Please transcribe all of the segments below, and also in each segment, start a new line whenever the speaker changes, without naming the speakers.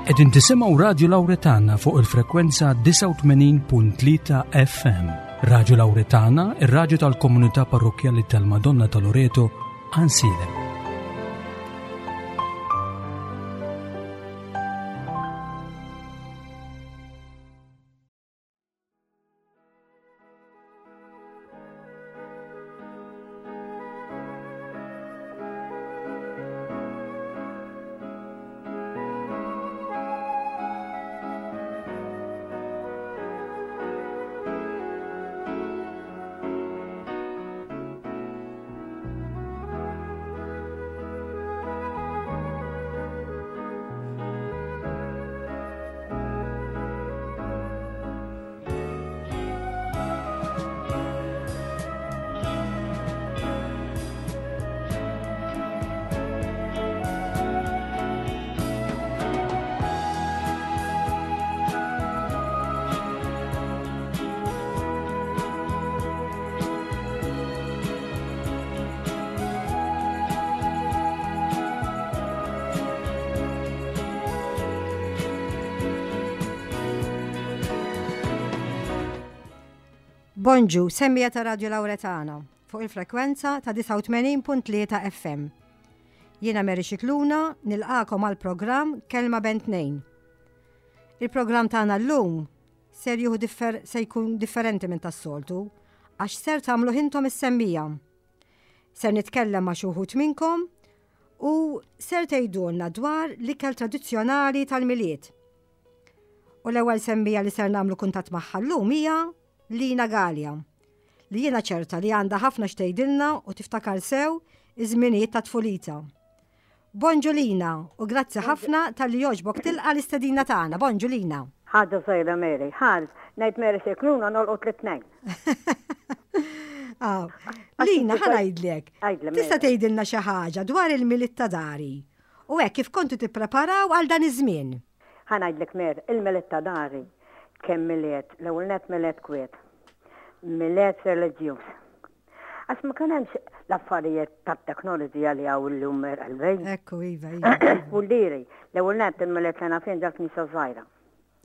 Qegħdin tisimgħu Radju Lawretana fuq il-frekwenza 89.3 FM. Radju Lawretana, ir-radju tal-komunità parrokkjali tal-Madonna ta' Loreto, Ansilem.
Bonġu, semmija ta' Radio Lauretana fuq il-frekwenza ta' 89.3 FM. Jiena Mary Xikluna nilqakom għal programm Kelma Bentnejn. Il-programm tagħna llum ser jieħu differ se jkun differenti minn tas-soltu għax ser tagħmlu intom is-semmija. Ser nitkellem ma' xi wħud minnkom u ser tgħidulna dwar l-ikel tradizzjonali tal-Milied. U l-ewwel semmija li ser nagħmlu kuntatt magħha llum hija Lina Galea, li jiena ċerta li għandha ħafna x'tgħidilna u tiftakar sew iż-żminijiet ta' tfulita. Bonġu Lina u grazzi ħafna talli jogħġbok tilqa' l-istedina tagħna. Bonġu Lina.
Ħaġa żgħira Mary. Ħa ngħid Mary Scicluna nolqot lit-tnejn.
Lina, ħa ngħidlek. Tista' tgħidilna xi ħaġa dwar il-Milied ta' dari u hekk kif kontu tippreparaw għal dan iż-żmien.
Ħa ngħidlek Mary, il-Milied ta' dari kemm Milied, l-ewwel nett Milied kwiet. Milied reliġjuż. Għax ma kien hemmx l-affarijiet tat-teknoloġija li hawn illum qalbi.
Ekku, iva, iva. iva.
Vuldiri, l-ewwel nett il-Milied li naf jien ġal-knisja żgħira.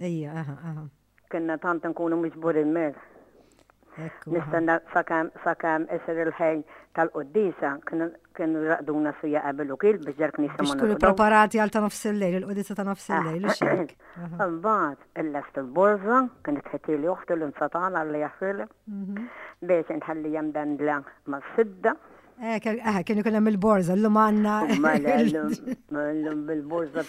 Ija, aha, aha.
Kienna tant nkunu miġburin mir. Nistenna sakemm sakemm isir il-ħin tal-quddisa kienu jraqduna sija qabel u kil biex ġal-knisja
ma. Biex tkunu preparati għal ta' nofs il-lejl, il-quddisa ta' nofs il-lejl, u xek.
Imbagħad illest il-borża, kienet ħetili oħti l-insatana li jaħfirli. Mhm. Biex nħallija mdendla mas-sidda.
Eh, eh, kien ikun hemm il-borża, llum għandna.
Mela, llum bil-borża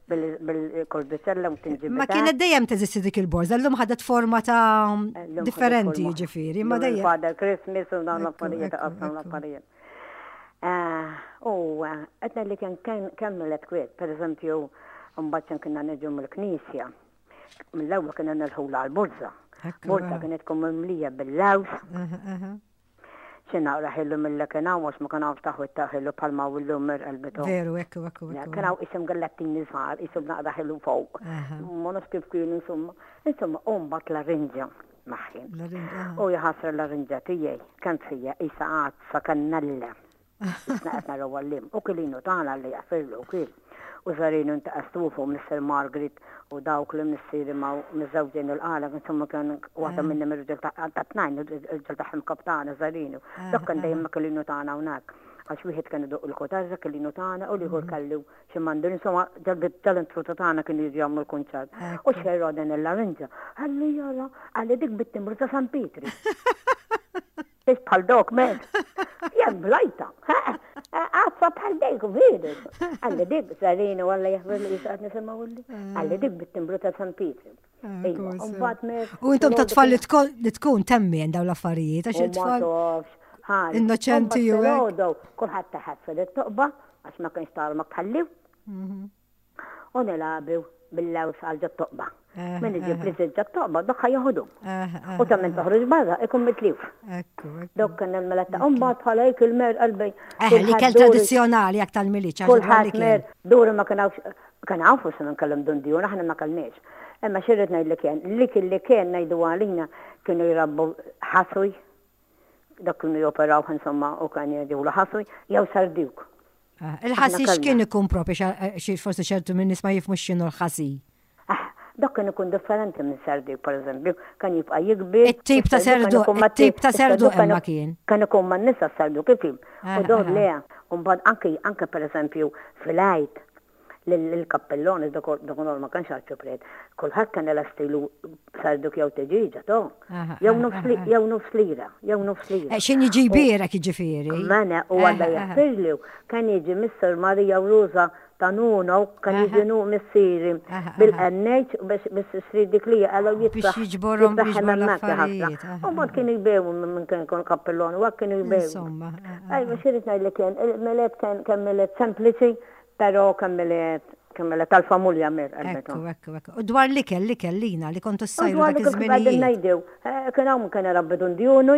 bil-kordicella u tinġib.
Ma kienet dejjem teżisti dik il-borża, llum ħadet forma ta' differenti ġifieri, ma dejjem.
Father Christmas u dawn l-affarijiet, qasam l-affarijiet. Eh, u qed li kien kemm mill kwiet, pereżempju, mbagħad kienna niġu mill-knisja. Mill-ewwel kienna nilħula għall-burza. Burza kienet tkun mimlija bil-laws. Xi naqra ħillu mill kien hawn għax ma kien hawnx taħwit ta' ħillu bħalma hawn illum mirqelbitu.
Veru, ekku, ekku, ekku.
Kien hawn isim gallettini żgħar, isim naqra ħillu fuq. Ma nafx kif kienu insomma. Insomma, u mbagħad l-arinġa maħħi. U jħassra l-arinġa tiegħi kemm fija isa għadsa kannella. Isna qed naraw għallim. U kilinu tagħna li jaħfirlu kien. U żarinu inta astufu Mr. Margaret u dawk li missieri ma miżżewġin il-qala, insomma kien waħda eh. minnhom ir-riġel ta' tnajn, ir-riġel tagħhom kaptana żarinu. Eh, Dak kien dejjem ma kilinu tagħna hawnhekk. Għax wieħed kien iduq il-kotarra kilinu tagħna u l-ieħor mhm. kellu xi mandir, insomma tal-intruta tagħna kienu jiġu jagħmlu l-kunċert. U xerra din il-larinġa. Għalli jara, għalli dik bit-timbru ta' San Pietri. Biex bħal dok, men. Jem blajta. Għaffa bħal dejk, veru. Għalli dik, sarina, għalla jahver li jisaqat nisimaw li. Għalli dik bit-timbru ta' San Pietru.
Ah, U intom ta' tfal li tkun temmi daw l-affarijiet, għax it-tfal. Innoċenti
ju. Kulħadd taħat fil-toqba, għax ma kienx tarmak tħalliw. Mhm. U nilagħbu bil-laws għal ġot-toqba. Min iġib li żied ġot-toqba, dok ħa joħdu. U ta' min toħroġ barra ikun mitlif. Dok kien il-mela ta' mbagħad bħala jek il-mer qalbi.
Eh, li kell tradizzjonali jak tal-miliċ.
Kulħadd mer duri ma kien kien hawn forsi minn kellhom dundjun, aħna ma kellniex. Imma xirrid ngħidlek kien, li kien li kien ngħidu għalina kienu jrabbu ħaswi, dak kienu joperaw insomma u kien jgħidu ħaswi, jew sardjuk.
Ah, il-ħasi x'kien ikun propri xi forsi ċertu minn nies ma jifhmux x'inhu l-ħasi.
Ah, dak kien ikun differenti minn serduk, per eżempju, kan jibqa' jikbir.
It-tip ta' serduk, it-tip ta' serduk imma kien.
Kan ikun man nisa serduk kif U dor le, u mbagħad anke anke per eżempju fil-għid lill-kappellon, dak ma kienx arċipriet, kulħadd kien ilestilu serduk jew tiġiġa, to. Jew nofs lira, jew nofs lira.
Eh, X'in jiġi jbierek jiġifieri.
Mena u għalla jaħfirli, kien jiġi Mr. Maria u Rosa ta' Nuno, kien jiġi nu missieri bil-NH biex issir dik li għalaw
jitfaħ. Biex jiġborhom biex
l-affarijiet. U mbagħad kienu jbewu minn kien ikun kappellon u kienu jbewu. Insomma. Ejwa xi ngħidlek kien, il-Milied kien Milied sempliċi, Pero kemm milied, kemm milied tal-famulja mir
Ekku, ekku, ekku. U dwar l-ikel, l-ikel lina li kontu ssajru dak iż-żminijiet.
Ngħidu, eh, kien hawn kien irabbi dundjunu.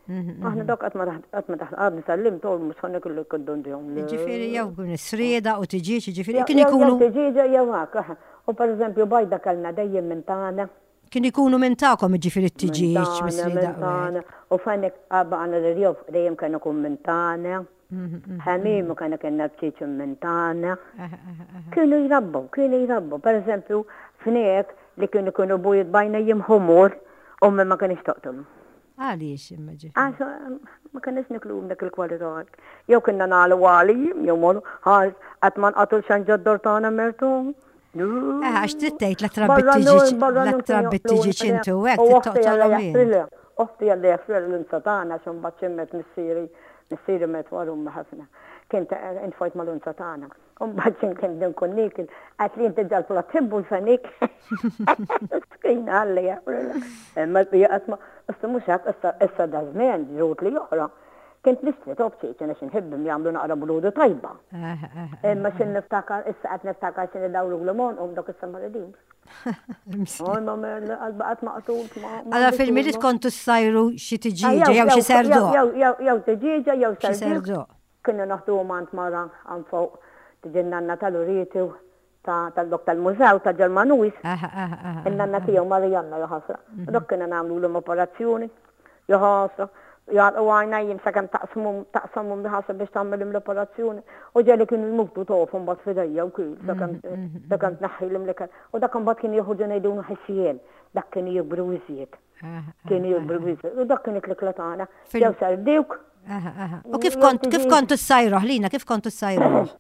Mhm, mhm. Aħna dok qatt ma qatt ma taħt għadni sallim tol mhux ħanna kellu jkun dundjun.
Ġifieri jew kun srieda u tiġieġ, ġifieri kien ikunu.
Tiġieġa jew hekk. U pereżempju bajda kellna dejjem minn tagħna.
Kien ikunu minn tagħkom ġifieri t-tiġieġ mis-srieda.
U fenek għana l-irjof dejjem kien ikun minn tagħna. Ħamim u kena kena bċiċ minn tagħna. Kienu jrabbu, kienu jrabbu. Per eżempju, fnek li kienu kienu bujt bajna jimħumur u ma kienx toqtolu.
Għaliex imma
ġifieri? Għax ma kienx niklu dak il-kwalità. Jew kienna nagħlu għali, jew morru ħal qatt ma nqatul xan ġoddor tagħna mertu.
Eh, għax trid tgħid la trabbi tiġi la trabbi tiġi ċintu hekk
toqtolhom. Oħti għalli jaffir l-unza tagħna xi mbagħad ximmet missieri, missieri met wara umma ħafna. Kien intfajt mal-unza tagħna. U mbagħad xi kien nkun niekil, għat li inti ġal-platt tħibbu l-fenik. Skina għalli jaffrilha. Imma l-bija qatt ma, issa mhux hekk, issa issa da żmien ġrut li oħra. Kint nixtri top ċiċin għax inħibbhom jagħmlu naqra brudu tajba. Imma x'in niftakar, issa qed niftakar x'in idawru l-għonqhom dawk issa ma ridux. Imma qalba qatt maqtul.
Alla fil-Milied kontu ssajru xi tiġieġa jew xi serduq.
Jew tiġieġa jew serduq. Kienu naħduhom għand mara għand fuq tiġi n-nanna tal-Urieti ta' tal-dok tal-mużew ta' Ġermanuż. In-nanna tiegħu Marianna jaħasra. Mhm. Dok kienu nagħmlulhom operazzjoni jaħasra. Jgħalqu għajnejhom sakemm taqsmhom taqsamhom biħasra biex tagħmilhom l-operazzjoni. U ġeli kienu jmutu tofu mbagħad f'idejja u kil sakemm mhm, mhm, sakemm tneħħilhom l-ikel. U dak imbagħad kien joħorġu ngħidulu ħissien, dak kien jikbru iżjed. Kienu jikbru iżjed. U dak kienet l-ikla tagħna. Jew sardewk.
U kif kont kif kontu ssajruh lina, kif kontu ssajruh?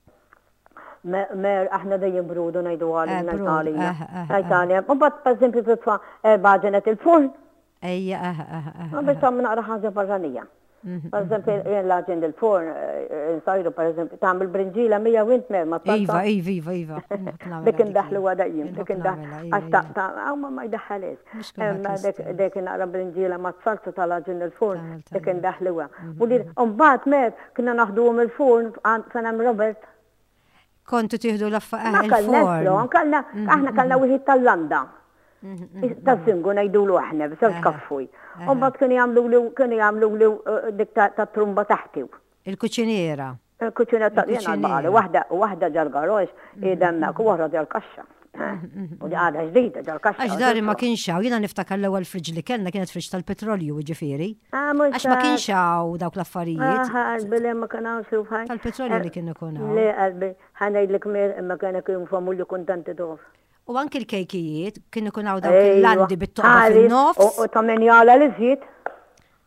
Mer, aħna dejjem brudu ngħidu għalina eh, Italja. Eh, eh, Italja. U bat per eżempju titfa' baġenet il-furn.
Ejja,
Biex tagħmel naqra ħaġa barranija. Mhm, per eżempju, mhm. jien l-aġen il-forn, insajru per eżempju, tagħmel brinġila mija u int mer ma
Iva, iva, iva, iva.
Dik indaħlu għadajjim, dik indaħlu. Għax ta' ta' ma ma jdaħħalix. Imma dik naqra brinġila ma salsa tal-aġen il-forn, dik indaħluha. Mhm, U li mbagħad mer Konna naħduhom il-forn fejn hemm Robert.
Kontu tieħdu l-affa eh, il-forn.
Kellna, mhm, aħna kellna mhm. wieħed tal-landa. Mhm, ta' singu ngħidulu aħna, b'żewġ kaffuj. U mbagħad kienu jagħmlu li kienu jagħmlu li eh, dik ta' trumba taħti.
Il-kuċiniera.
Il-kuċiniera ta' jiena baqali waħda waħda ġal-garox, idemmek u oħra ġal-kaxxa. U di għadha ġdida ġal-kaxxa.
Għax dari ma kienx hawn, jiena niftakar l-ewwel friġ li kellna kienet friġ tal-petrolju, jiġifieri. Ah, Għax ma kienx hawn dawk l-affarijiet.
Ah, qalbi le ma kien hawn xi ħaġa.
Tal-petrolju li kien ikun hawn.
Le qalbi, ħa ngħidlek mir imma kien ikun famulju kuntenti tof.
U anki l-kejkijiet kien ikun hawn dawk il-landi bit-toqba fin-nofs.
U ta' min jagħla l-iżjed.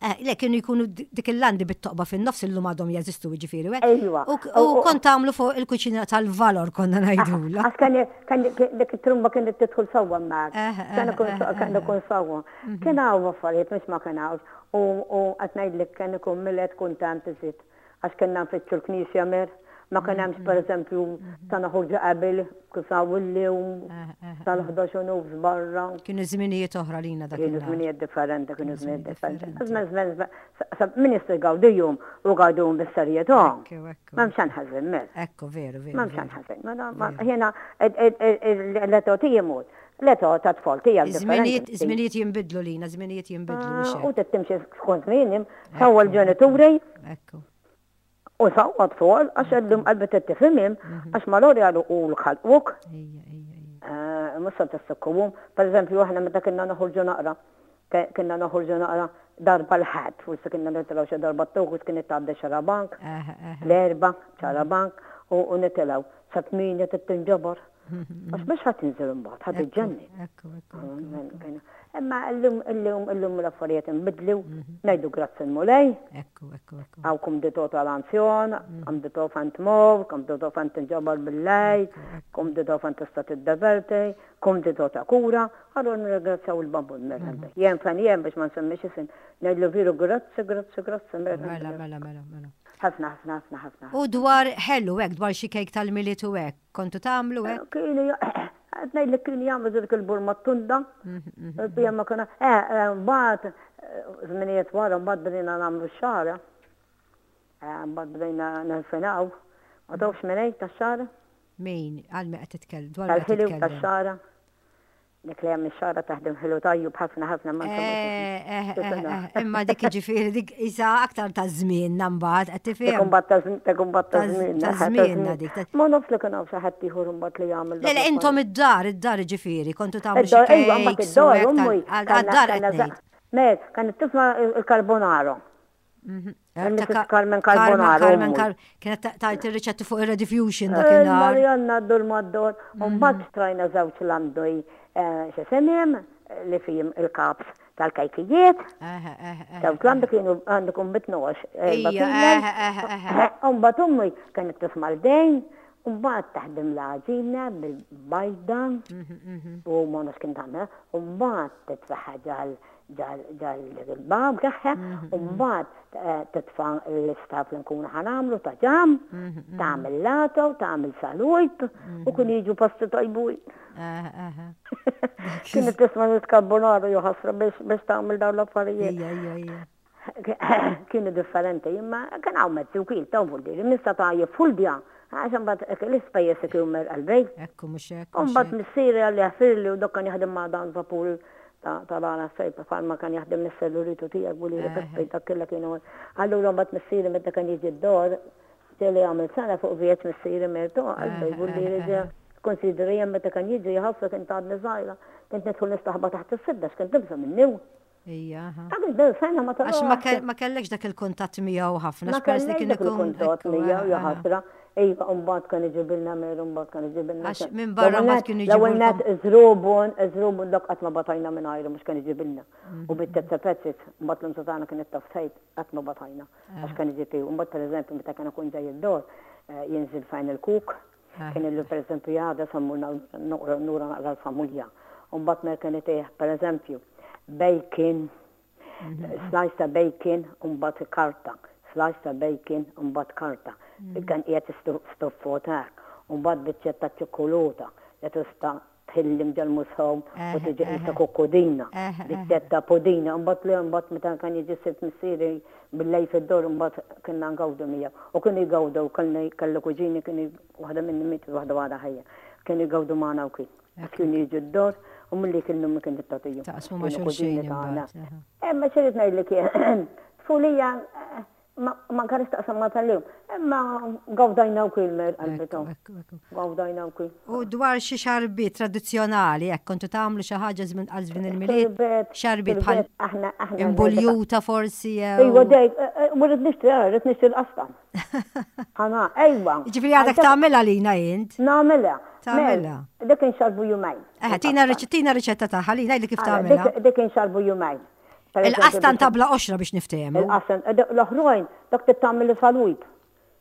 Eh, le, kienu jkunu dik il-landi bit-toqba fin-nofs illum għadhom jeżistu jiġifieri. Eh? Ejwa. U kont tagħmlu fuq il-kuċina tal-valor konna ngħidula.
Għax kien dik it-trumba kienet tidħol sewwa hemmhekk. Eh, eh, kien ikun sewwa. Mhm. Kien hawn affarijiet mhux ma kien hawn. U qed ngħidlek kien ikun Milied kuntent iżid. Għax kellna nfittxu l-knisja mer, ma kien hemmx pereżempju ta' noħorġu qabel kif hawn illum tal-11 u nofs barra.
Kienu żminijiet oħra lina dak.
Kienu żminijiet differenti, kienu żminijiet differenti. Żmien żmien min jista' jgawdihom u jgawdihom bis-serjetà. M'hemmx xejn ħażin mer.
Ekku, veru, veru.
M'hemmx xejn ħażin. Jiena l-età tiegħi mod. L-età ta' tfal tiegħek
differenti. Żminijiet jinbidlu lina, żminijiet jinbidlu.
U timxi skont żmien, sewwa l-ġenituri.
Ekku.
U sawwa tfol, għax għeddum qalbi t-tifimim, mhm. għax mal-ori għalu u l-ħalquk. Eh, Musa t-sukkuwum. Per eżempju, aħna meta kienna noħorġu naqra. Kienna noħorġu naqra darba l-Ħadd, forsi kienna nitilgħu xi darba t-Tuħus kienet tgħaddi xarabank, l-Erbgħa xarabank u nitilgħu sa tmienja trid tinġabar. Għax mhux ħa tinżel imbagħad, ħa tiġġenni. Imma illum illum illum l-affarijiet inbidlu, ngħidu grazzi l-Mulej. Hawn kumditò tal-anzjon, kumditò fejn tmur, kumditò fejn tinġabar bil-lejl, kumditò fejn tista' tiddeverti, Kumdità ta' kura, allura nirringrazzjaw il-Babbu l-Merħba. Jien fejn jien biex ma nsemmix isim, ngħidlu veru grazzi, grazzi, grazzi Merħba.
Mela, mela, mela, mela.
Ħafna, ħafna, ħafna, ħafna.
U dwar ħelu hekk, dwar xi kejk tal-Milied u hekk, kontu tagħmlu hekk?
Kienu, qed ngħidlek kienu jagħmlu dik il-burma tunda. Il-bija ma kien, mbagħad żminijiet wara mbagħad bdejna nagħmlu x-xagħra. Mbagħad bdejna nirfinaw. Ma tafx min hi tax-xagħra?
Min? Għal min qed titkellem? Dwar min qed
Tal-ħelu
titkellem?
tax-xagħra. Dik li hemm ix-xagħra taħdem ħelu tajjub ħafna ħafna ma
Eh, eh, eh, eh, imma dik jiġifieri dik isa aktar ta' żmienna mbagħad qed tifhem.
Dik imbagħad ta' żmien, dik imbagħad ta' żmienna.
Ta' żmienna dik. ta'
Ma nafx li kien hawn xi ħadd ieħor imbagħad li jagħmel
Le, le, intom id-dar, id-dar jiġifieri, kontu tagħmlu xi
Id-dar, ejwa, mbagħad
cakes u
id-dar,
hekk tal-
ummi,
għal-
kellna-
għad-dar qed
kellna
ngħid.
Mer, kienet tisma' il-carbonaro.
Mhm.
Mrs. Carmen Carbonaro.
Carmen Car kienet tajt ir-riċetti fuq ir-rediffusion dakinhar.
Marianna d-dur mad-dur. U mbagħad xtrajna żewġ landoj x'isimhom li fihom il-cups tal-kejkijiet. Żewġ landi kienu għandek bitnox. U mbagħad ummi kienet tisma' l-dejn, u mbagħad taħdem l-għaġina bil-bajda u ma nafx kien tagħmel, u mbagħad titfaħħa ġal ġal-bab tagħha, u mbagħad titfa' l-istaff li nkunu ħa nagħmlu ta' ġam, tagħmel lato, tagħmel salujt, u kien jiġu pasti tajbun. Kienet tisma' l-carbonaro jew ħasra biex tagħmel dawn l-affarijiet. Kienu differenti, imma kien hawn mezzi wkoll ta' vuldiri, min seta' jiffuldja, għax imbagħad l-ispejjeż kienu mer qalbej.
Ekku mhux hekk.
U mbagħad missieri għalli ħfirli u dak kien jaħdem ma' dan vapur tal-għana fejn bħalma kien jaħdem mis-selluritu tiegħek u li Peppi dak kollha kienu. Allura mbagħad missieri meta kien jiġi d-dor, ġieli għamel sena fuq vjeġġ missieri mertu qalbej vuldiri ġe. Konsidri jien meta kien jiġi ħafna kien għadni żgħira, kont nidħol nistaħba taħt is-sidda x'kien tibża' minni.
Ija, aha.
Ta' kif sena ma
Għax ma kell- ma kellekx dak il-kuntatt miegħu ħafna,
Ma
għax peress li
kellekx
kien
dak
ikun
il-kuntatt
ekku,
miegħu,
aha,
ja
aha.
ħasra. Iva, mbagħad kien iġibilna mer, mbagħad kien iġibilna
Għax
xe-
minn barra
L-ewwel
mbagħad
net-
kienu
L-ewwel net
jġibulkom.
żrubun, żrubun dak qatt ma batajna minn għajru mhux kien iġibilna. U bit-tezza pezzit, mbagħad l-unza tagħna kienet taf tgħid qatt ma batajna għax kien iġib Mbagħad pereżempju meta kien ikun ġej id-dor, eh, jinżil fejn il-kuk, Kien illu pereżempju għada sa mmur nura naqra l-familja. U mbagħad mer kien itih pereżempju bacon, slice ta' bacon u mbagħad karta, slice ta' bacon u mbagħad karta. Kien qiegħed stuffot hekk. U mbagħad biċċetta ta' ċikkulata li tista' tħillim ġal-musħom u tiġi qisha kukkudina, biċċetta pudina, imbagħad le imbagħad meta kien jiġi s-Sibt missieri bil-lejl fid-dor imbagħad kienna ngawdu miegħu. U kienu jgawdu kelli kelli kuġini kienu waħda minnhom mietet waħda għadha ħajja. Kienu jgawdu magħna wkoll. Għax kienu jiġu d-dor u milli kienu ma kien tagħtihom.
Taqsmu ma' xulxin imbagħad.
Imma xi rrid ngħidlek jien, tfulija Ma nkarix taqsam ma tal-lum. Imma gawdajna u kil mer qalbitom. Gawdajna u kil.
U dwar xi xarbiet tradizzjonali, hekk kontu tagħmlu xi ħaġa għal żmien il-Milied? Xarbiet bħal imbuljuta forsi jew.
Ejwa dejk, eh, eh, ma rrid nixtri, eh, rrid nixtri l-qastan. Ħana, ejwa.
Ġifieri għadek tagħmilha lina int.
Nagħmilha.
Tagħmilha.
Dik inxarbu jumejn.
Eh, tina riċetta tagħha li ngħidli kif tagħmilha.
Dik inxarbu jumejn.
Il-qastan ta' bla qoxra biex niftehmu.
Il-qastan, eh, l-oħrajn, dak trid tagħmel salib.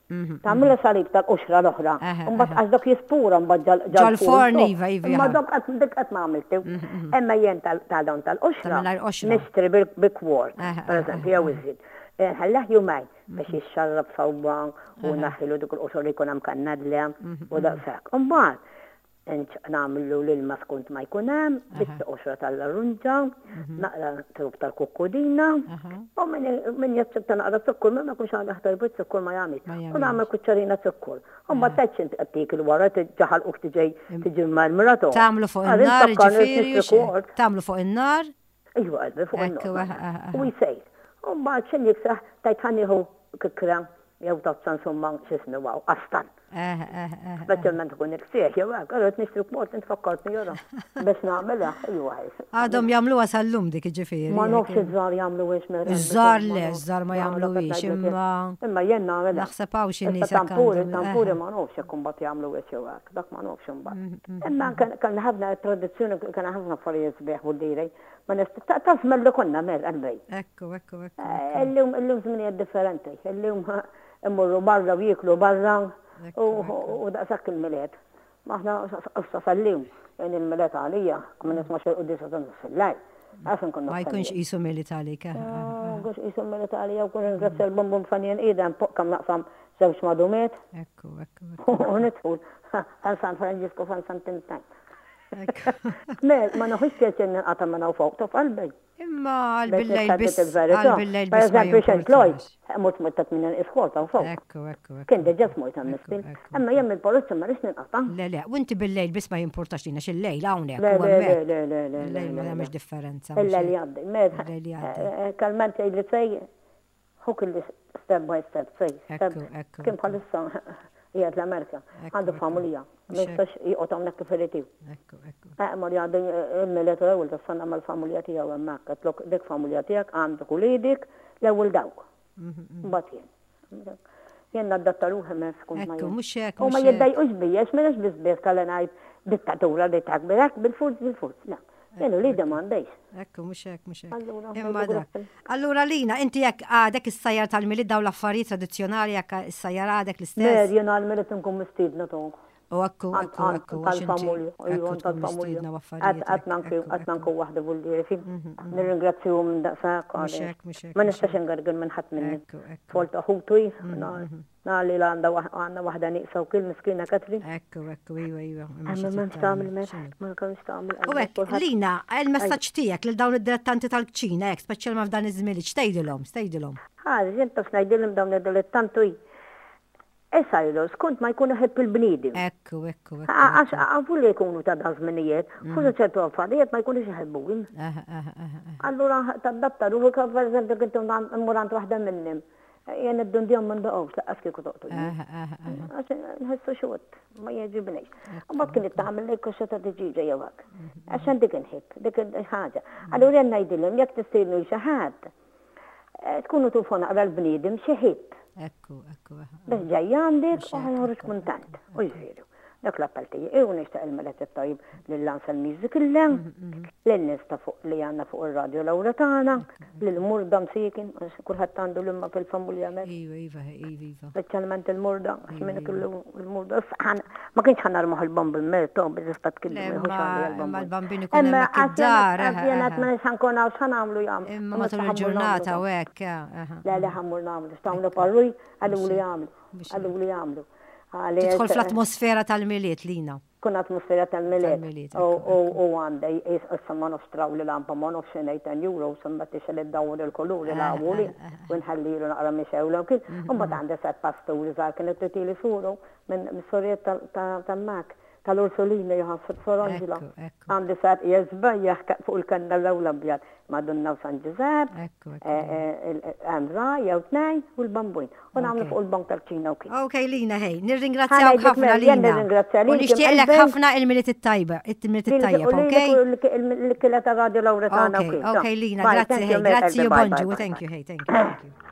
Mhm, tagħmel mhm. salib tal-qoxra l-oħra. Mbagħad għax dak jispura mbagħad
ġal-forn iva iva.
Imma dak dik qed ma għamiltu. Mhm, Imma jien tal-dawn tal-qoxra. Nixtri bi kwart, pereżempju, jew iżjed. Eh, ħallah jumejn biex jixxarrab sewwa u naħilu dik il-qoxra li jkun hemm kannadla u daqshekk. Imbagħad Nagħmlu l-ilma skont ma jkun hemm, biċċa qoxra tal-larunġa, naqra trub tal-kukkudina, u min jaċċetta naqra zukkor, ma jkunx għandha ħtar biż-zukkor ma jagħmilx. U nagħmel kuċċarina zukkor. U mbagħad tgħidx inti qed tiekil wara ġaħalquk tiġi tiġi marmrato.
Tagħmlu fuq in-nar ġifieri. Tagħmlu fuq in-nar?
Ejwa qalbi fuq in-nar. U jsejr. U mbagħad x'inhi jiksaħ tgħid ħa nieħu kikra. jew tazza insomma x'ismu hawn, qastan. Speċjalment ikun il-ksieħ jew hekk, allura qed nixtri b'mod int fakkartni jara biex nagħmilha, iwa.
Għadhom jagħmluha sal-lum dik iġifieri.
Ma nafx iż-żgħar jagħmluhiex mela.
Iż-żgħar le, iż-żgħar ma jagħmluhiex imma.
Imma jien nagħmilha.
Naħseb hawn xi nies
Tampuri, tampuri ma nafx jekk imbagħad jagħmluhiex jew hekk, dak ma nafx imbagħad. Mm, mm, imma mm. kellna ħafna tradizzjoni, kellna ħafna affarijiet sbieħ u l-liri. Ma nist ta' żmien li konna mer qalbi.
Ekku, ekku, ekku.
Eh, illum illum żminijiet differenti. Illum Imorru barra u jieklu barra u daqshekk il-Milied. Aħna issa sal-lum, jien il-Milied għalija, ma nismax il-quddiesa ta' nofs il-lejl. Għax inkun
Ma jkunx qisu Milied għalik. Eh, eh,
eh. Jkunx qisu Milied għalija u kun ringrazzja l-bumbum fanien idem fuq kemm naqsam żewġ madumiet.
Ekku, ekku.
U nidħul fan San Franġisku fan San Tintan. Ma naħux pjaċir ninqata' minn hawn fuq, taf qalbi.
Imma għal billejl biss. Għal billejl biss.
Per eżempju, xejn Lloyd, mort mort ta' tmien iskol ta' fuq.
Ekku, ekku, ekku.
Kien diġà smajt hemm miskin. Imma jien mill-polizija ma rridx ninqata'.
Le, le, u inti billejl biss ma jimpurtax lina x'il-lejl hawnhekk.
Le, le, le, le, le, le.
Il-lejl ma jagħmilx differenza.
Il-lejl jgħaddi.
Il-lejl jgħaddi.
Eh, eh, Kalment jgħidli sej, Hu kien li step by step, sej, step. Kien bħalissa qiegħed l-Amerika, għandu familja, ma jistax joqgħod hawnhekk kif irid hu. Eh, mar jgħaddi il-Milied u l-ewwel tas-sena mal-familja tiegħu hemmhekk, għedtlok dik familja tiegħek għandek uliedek l-ewwel dawk. Mbagħad jien. Jien nadatta ruħi minn skont ma
jien. Mhux hekk.
U ma jiddejqux bija, għax m'iniex biss biss kalli ngħid dittatura li takbir hekk bil-forz bil-forz. Le. Jien uliedi m'għandix.
Ekku, mhux hekk, mhux hekk. Imma dak. Allura Lina, inti jekk għadek issajjar tal-Milied dawn l-affarijiet tradizzjonali jekk issajjar għadek l-istess.
Mer, jien għall-Milied inkun mistiedna tonk.
U ekku, ekku, ekku.
Tal-familja, iva, tal-familja. Qatt ma nkun waħdi vuldieri. Nirringrazzjahom minn daqshekk.
Mhux hekk, mhux hekk.
Ma nistax ingargel minn ħadd minni. Tfal ta' ħutu, Nali la għandha għandna waħda nieqsa wkoll miskina Katrin.
Ekku, ekku, iva, iva.
Imma m'hemmx tagħmel ma nkunx tagħmel.
U hekk, Lina, il-messaġġ tiegħek lil dawn id-dilettanti tal-kċina hekk, speċjalment f'dan iż-żmien, x'tgħidilhom, x'tgħidilhom?
Ħaġa, jien taf ngħidilhom dawn id-dilettanti Isajru, skont ma jkun iħobb il-bniedem.
Ekku, ekku, ekku.
Għax għafu li jkunu ta' dan żminijiet, mm. forsi ċertu affarijiet ma jkunux iħebbuhom. Allura tadatta ruħek, per eżempju, kint immur għand waħda minnhom. Jien id-dundjon ma ndoqgħux laqqas kieku toqtolni. Għax nħessu xut, ma jogħġibnix. U mbagħad kienet tagħmel li koxxa ta' tiġiġa jew hekk. Għax dik inħib, dik il-ħaġa. Allura jien ngħidilhom jekk tistiednu xi ħadd, eh, tkunu tufu naqra l-bniedem xi ħib.
Ekku, ekku.
Biex ġej għandek u ħajħorġ kuntant. U jżidu. Dak l-appell tiegħi u nixtieq il-Milied it-tajjeb lill-Anselmiżi kollha, lin-nies ta' fuq li għandna fuq ir-radju l-ewwel tagħna, lill-murda msiekin, għax kulħadd għandu l-imma fil-familja hemmhekk.
Iva, iva, iva, iva.
Speċjalment il-murda, għax min kellu l-murda. Ma kienx ħa narmuh il-bambin merto, biex tista' tkellem
jieħu xagħli għall-bambin. Imma l-bambin ikun hemmhekk id-dar.
Jiena qed ma nix ħankun hawn x'ħa nagħmlu jagħmlu.
Imma matul il-ġurnata u hekk.
Le, le ħa mmur nagħmlu, x'tagħmlu parruj, qaluli jagħmlu. Qaluli jagħmlu.
Tidħol fl-atmosfera tal-Milied, Lina.
Kun atmosfera tal-Milied. U għandha issa ma nafx traw li lampa ma nafx xi ngħid 10 euros imbagħad tixgħel iddawwar il-kuluri l-għawuli u nħallilu naqra mixgħula u kien. Imbagħad għandha set pasturi żgħar kienet titili suru minn sorijiet ta' Mak tal-Ursulina jħasseb Sor Angela. Għandi set jesbejjaħ fuq il-kannella u l-abjad. Madonna u San Ġużepp, hemm ra jew tnejn u l-bambun. U nagħmlu fuq il-bank tal-kċina u kif.
Ok, Lina, hej, nirringrazzjak ħafna Lina. U nixtieqlek ħafna il-Milied it-tajba, il-Milied it-tajjeb, ok?
Il-kila ta' Radio Lauretana
u kif. Ok, Lina, grazzi, hej, grazzi u bonġu, thank you, hey, thank you, thank you.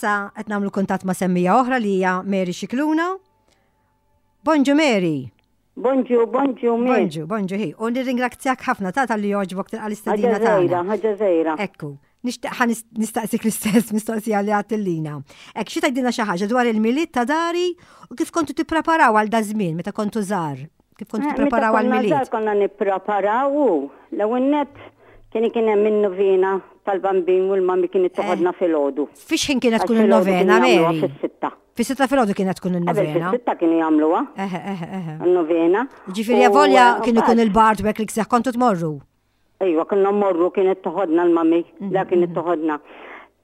Issa qed nagħmlu kuntatt ma' semmija oħra li hija Mary Xikluna. Bonġu Mary.
Bonġu, bonġu,
Mary. Bonġu, bonġu hi. U nirringrazzjak ħafna ta' tal-li joġbok tilqa l-istedina
tagħna. Ħaġa żgħira.
Ekku. Nixtieq ħa nistaqsik l-istess mistoqsija li għattillina. Ek xi tgħidilna xi ħaġa dwar il-milied ta' dari u kif kontu tippreparaw għal dażmien meta kontu żgħar? Kif kontu eh, tippreparaw għal milied?
Konna nippreparaw u l-ewwel nett kien kien hemm in-novena tal-bambin u l-mami kienet eh. toħodna filgħodu.
Fiex ħin kienet tkun in-novena, Mary? Fis-sitta. Fis-sitta filgħodu kienet tkun in-novena.
Fis-sitta kienu jagħmluha. Eħe, eħe, eħe. In-novena.
Ġifieri avolja eh, kien ikun il-bard u hekk li kseħ kontu tmorru.
Iva, konna mmorru kienet toħodna l-mami, mhm, la kienet mhm. toħodna.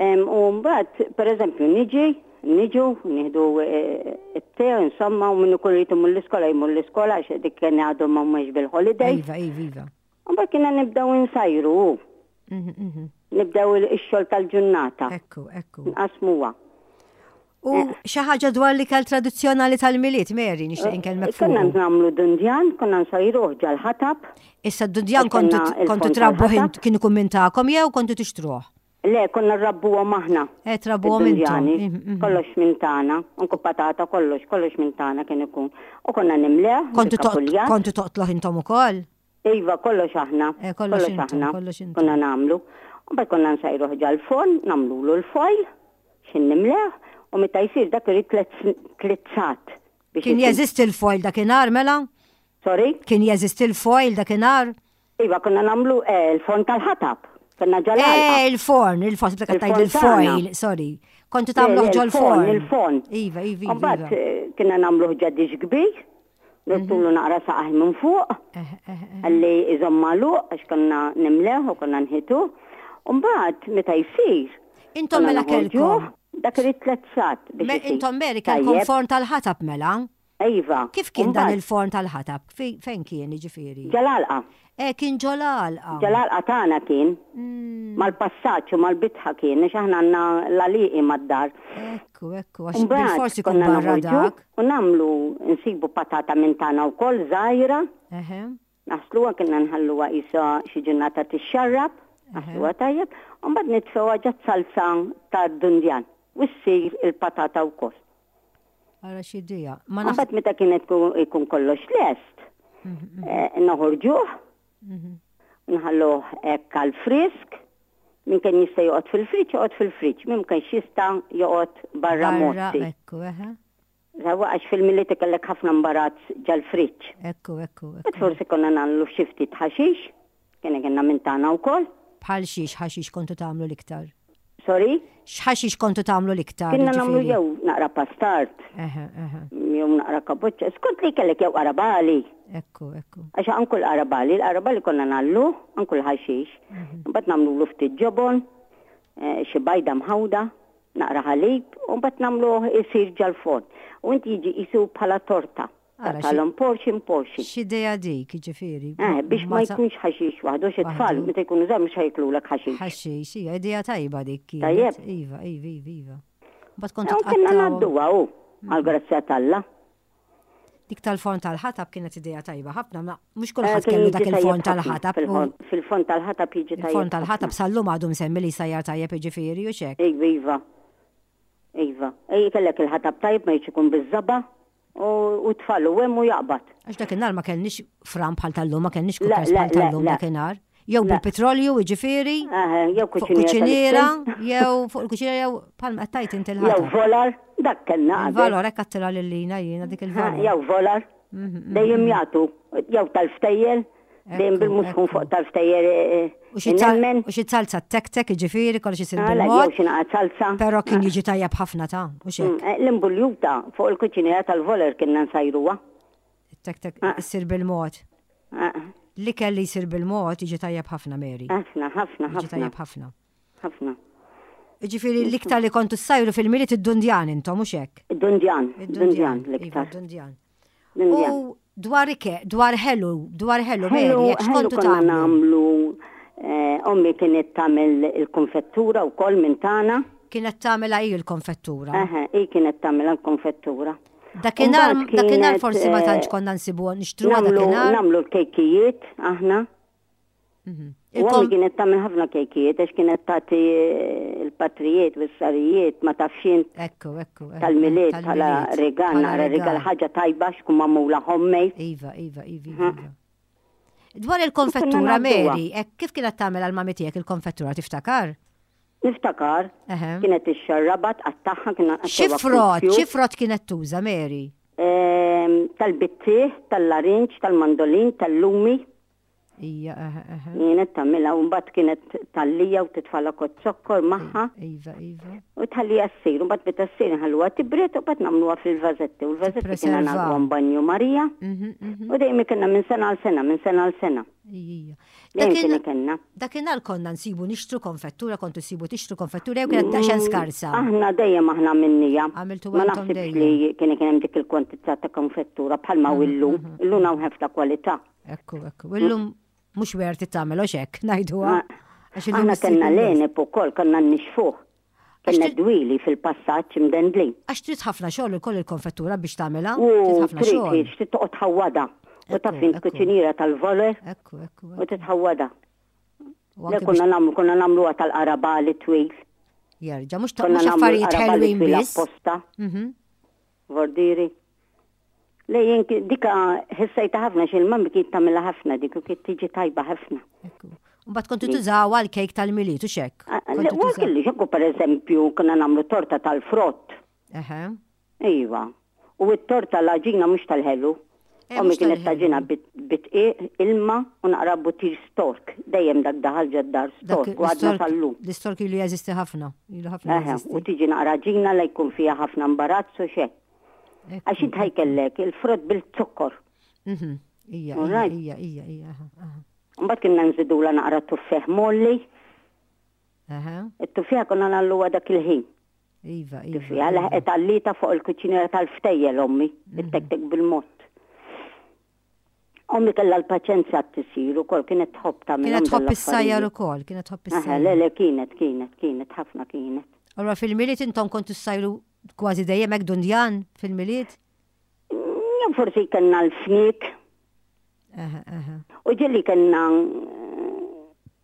U mbagħad, per eżempju, niġi, niġu, nieħdu eh, it-te, insomma, u minnu kun rritu mill l-iskola jmur l-iskola, għax dik kien għadhom ma mhux bil-holiday.
Iva, iva, iva.
U mbagħad kienna nibdew insajru. Mhm, Nibdew ix-xogħol tal-ġurnata.
Ekku, ekku.
Nqasmuha.
U eh. xi ħaġa dwar l-ikel tradizzjonali tal-Milied, Mary, nixtieq eh, inkellmek
fuq. Konna nagħmlu dundjan, konna nsajruh ġal-ħatab.
Issa d-dundjan kontu trabbuh kien ikun minn tagħkom jew kontu tixtruh?
Le, konna rrabbuhom aħna.
Eh, trabbuhom intom.
Mhm, mhm. Kollox minn tagħna, anku patata, kollox, kollox minn tagħna kien ikun. U konna nimleh.
Kontu toqtloh intom ukoll?
Iva, kollox aħna.
Eh, kollox aħna. Kollox
intom. Konna nagħmlu. U mbagħad konna nsajruh ġal-forn, nagħmlulu l-foil, x'in nimleh, u meta jsir dak irid tliet sat.
Kien jeżisti l-foil dakinhar mela?
Sorry?
Kien jeżisti l-foil dakinhar?
Iva, konna nagħmlu eh, l-forn tal-ħatab. Konna ġal
Eh, il-forn, il-forn, sibta tgħid il-foil, sorry. Kontu tagħmlu ġol-forn.
Il-forn.
Iva, iva, iva.
Mbagħad eh, kienna nagħmlu ġadix kbir, Nurtulu naqra saqajh minn fuq, għalli iżomm magħluq għax konna nimleh u konna nħituh. U mbagħad meta jsir.
Intom mela kellkom.
Dak irid tliet sigħat biex
isir. Intom Mary kellkom forn tal-ħatab mela?
Iva.
Kif kien dan il-forn tal-ħatab? Fejn kien jiġifieri?
Ġol-għalqa.
Eh, kien ġol-għalqa.
Ġol-għalqa tagħna kien. Mal-passaġġ u mal-bitħa kien, għax aħna għandna l-għalieqi mad-dar.
Ekku, ekku, għax bilfors ikun barra dak.
U nagħmlu, nsibu patata minn tagħna wkoll żgħira. Naħsluha kienna nħalluha qisha xi ġurnata tixxarrab, naħsluha tajjeb, u mbagħad nitfgħuha ġat-salza tad-dundjan u ssir il-patata wkoll.
Ara x'idea.
Ma Mbagħad meta kienet ikun kollox lest, mhm, mhm. eh, noħorġuh, mhm. nħalluh hekk għal frisk, min kien jista' joqgħod fil-friġġ joqgħod fil-friġġ, min kienx jista' joqgħod barra mozzi.
Ekku, eħe.
Sawa għax fil-miliet ikollek ħafna mbarazz ġal-friġġ.
Ekku, ekku, ekku.
Forsi konna nagħmlu xi ftit ħaxix, Kien kienna minn tagħna wkoll.
Bħal xiex ħaxix kontu tagħmlu l-iktar?
Sorry?
X'ħaxix kontu tagħmlu l-iktar?
Kienna nagħmlu jew naqra pastard. Jew naqra kaboċċa, skont li kellek jew qarabali.
Ekku, ekku.
Għax anku l-qarabali, l-qarabali konna nagħllu, anku l-ħaxix. Mhm. Mbagħad nagħmlu ftit ġobon, eh, xi bajda mħawda, naqra ħalib, u mbagħad nagħmluh isir ġal-forn. U inti jiġi qisu bħala torta. Taqtagħlhom portion portion.
X'idea dik, jiġifieri.
Eh, biex ma jkunx ħaxix waħdu, xi tfal meta jkunu żgħar mhux ħajklulek ħaxix.
Ħaxix, hija idea tajba dik
kienet. Tajjeb.
Iva, iva, iva, iva. Mbagħad kontu
tqattgħu. Konna ngħadduha hu, għall-grazzja t'Alla.
Dik tal-forn tal-ħatab kienet idea tajba ħafna, ma mhux kulħadd kellu dak il-forn tal-ħatab.
Fil-forn tal-ħatab jiġi tajjeb.
Il-forn tal-ħatab sal-lum għadu msemmi li jsajjar tajjeb jiġifieri u x'hekk.
Iva, iva. Iva. Ej, kellek il-ħatab tajjeb ma jridx ikun biż-żaba'. U tfal u hemm u jaqbad.
Għax dakinhar ma kellniex fran bħal tal-lum, ma kellniex cookers bħal tal-lum dakinhar. Jew bil-petrolju, jiġifieri.
Jew
kuċiniera. Jew fuq il-kuċiniera jew bħal ma qed inti
l Jew volar, dak kellna.
Il-valor hekk għattilha lil Lina jiena dik il-valor.
Jew volar. Mhm, mhm, Dejjem mhm. jagħtu jew tal-ftejjel Dejjem bil-musħun fuq tal-ftejjer. Eh, eh,
u xi salza tek-tek, ġifieri, kollox isir
bil-mod. Jew xi naqa' salza.
Però kien ah. jiġi tajjeb ħafna ta' u xek.
Mm, eh, l-imbuljuta fuq il-kuċinera tal-voler kienna nsajruha.
Tek-tek ah. isir bil-mod. Ah. L-ikel li jsir bil-mod jiġi tajjeb ħafna, Mary.
Ħafna, ħafna,
ħafna. Jiġi tajjeb ħafna.
Ħafna.
Ġifieri l-iktar li kontu ssajru fil-miliet id-dundjan intom, mhux hekk?
Id-dundjan, id-dundjan iva, l-iktar.
Id-dundjan. U dwar ike, dwar ħelu, dwar ħelu, Mary, jekk x'kontu
tagħmlu? nagħmlu eh, ommi kienet tagħmel il-konfettura wkoll minn tagħna.
Kienet tagħmilha hi l-konfettura.
Eħe, hi kienet tagħmilha l-konfettura.
Dakinhar, dakinhar forsi ma tantx eh, konna nsibu nixtruha dakinhar.
Nagħmlu l-kejkijiet aħna.
Mhm.
U ommi kienet tagħmel ħafna kejkijiet għax kienet tagħti eh, l-patrijiet u s-sarijiet ma tafx int.
Ekku, ekku.
Tal-milied bħala rigal, naqra rigal ħaġa tajba x'kun magħmula homemade.
Iva, iva, iva, iva. iva. Dwar il-konfettura, Mary, kif kienet tagħmel għal mami tiegħek il-konfettura tiftakar?
Niftakar, kienet ixxarrabha, tqattagħha, kien
Xi frott, xi frott kienet tuża, Mary?
Ehm, tal-bittieħ, tal-larinġ, tal-mandolin, tal-lumi.
Ija, eħe, eħe.
Kienet tagħmilha u mbagħad kienet tallija u titfalha kot zokkor magħha.
Iva, iva.
U tħallija ssir, u mbagħad meta ssir nħalluha tibred u mbagħad nagħmluha fil-vażetti. U l-vażetti kienna nagħmluhom banju Marija. Mhm, mhm. U dejjem kienna minn sena għal sena, minn sena għal sena.
Ija.
Dakinhar
Dakinhar konna nsibu nixtru konfettura, kontu sibu tixtru konfettura jew kienet daqsxejn mm, skarsa.
Aħna dejjem aħna minnija.
Għamiltu
Ma naħsibx li kien kien hemm dik il-kwantità ta' konfettura bħalma u illum. Mm, mm, illum hawn ħafna kwalità.
Ekku, ekku. Illum mhux werti tagħmel hekk ngħiduha.
Aħna kellna l-għeneb ukoll konna nixfuh. Kellna dwieli fil-passaġġ imdendlin.
Għax trid ħafna xogħol ukoll il-konfettura biex tagħmilha.
U trid trid trid toqgħod tħawwadha. U taf int kuċiniera tal-voler.
Ekku, ekku.
U titħawwadha. Le konna nagħmlu konna nagħmluha tal-qarabali twil.
Jerġa' mhux ta' mhux affarijiet ħelwin biss.
Apposta. Mhm. Vordiri. Le jien dika ħissejta ħafna xi l-mammi kien tagħmilha ħafna dik u kien tiġi tajba ħafna.
Mbagħad kontu tużaw għal kejk tal-miliet u xek.
Le kelli xekku pereżempju konna nagħmlu torta tal-frott. Iva. U t-torta l-għaġina mhux tal-ħelu. Eh, Ommi kienet taġina bitqiq, ilma u naqra butir stork. Dejjem dak daħal ġad-dar stork u għadna sal-lum.
L-istork ilu jeżisti ħafna. Ilu
ħafna. U tiġi naqra ġina la jkun fiha ħafna imbarazz u xek. Għax int ħajkellek il-frott bil-zokkor.
Mhm. Ija, ija, ija, ija.
Mbagħad kienna nżidula naqra tuffeħ molli. It-tuffieħa konna nagħlluha dak il-ħin.
Iva,
iva. Tuffieħa laħqet għallita fuq il-kuċinera tal-ftejjel ommi, mhm. it-tektek bil-mod. Ommi kellha l-paċenzja t-tisir ukoll kienet tħobb
tagħmel. Kienet tħobb is-sajjar ukoll, kienet tħobb is-sajjar.
Le, le, kienet, kienet, kienet, ħafna kienet.
Allora fil-miliet intom kontu ssajru Kważi dejjem hekk dundjan fil-Milied?
Jew forsi kellna l-fniek. U ġieli kellna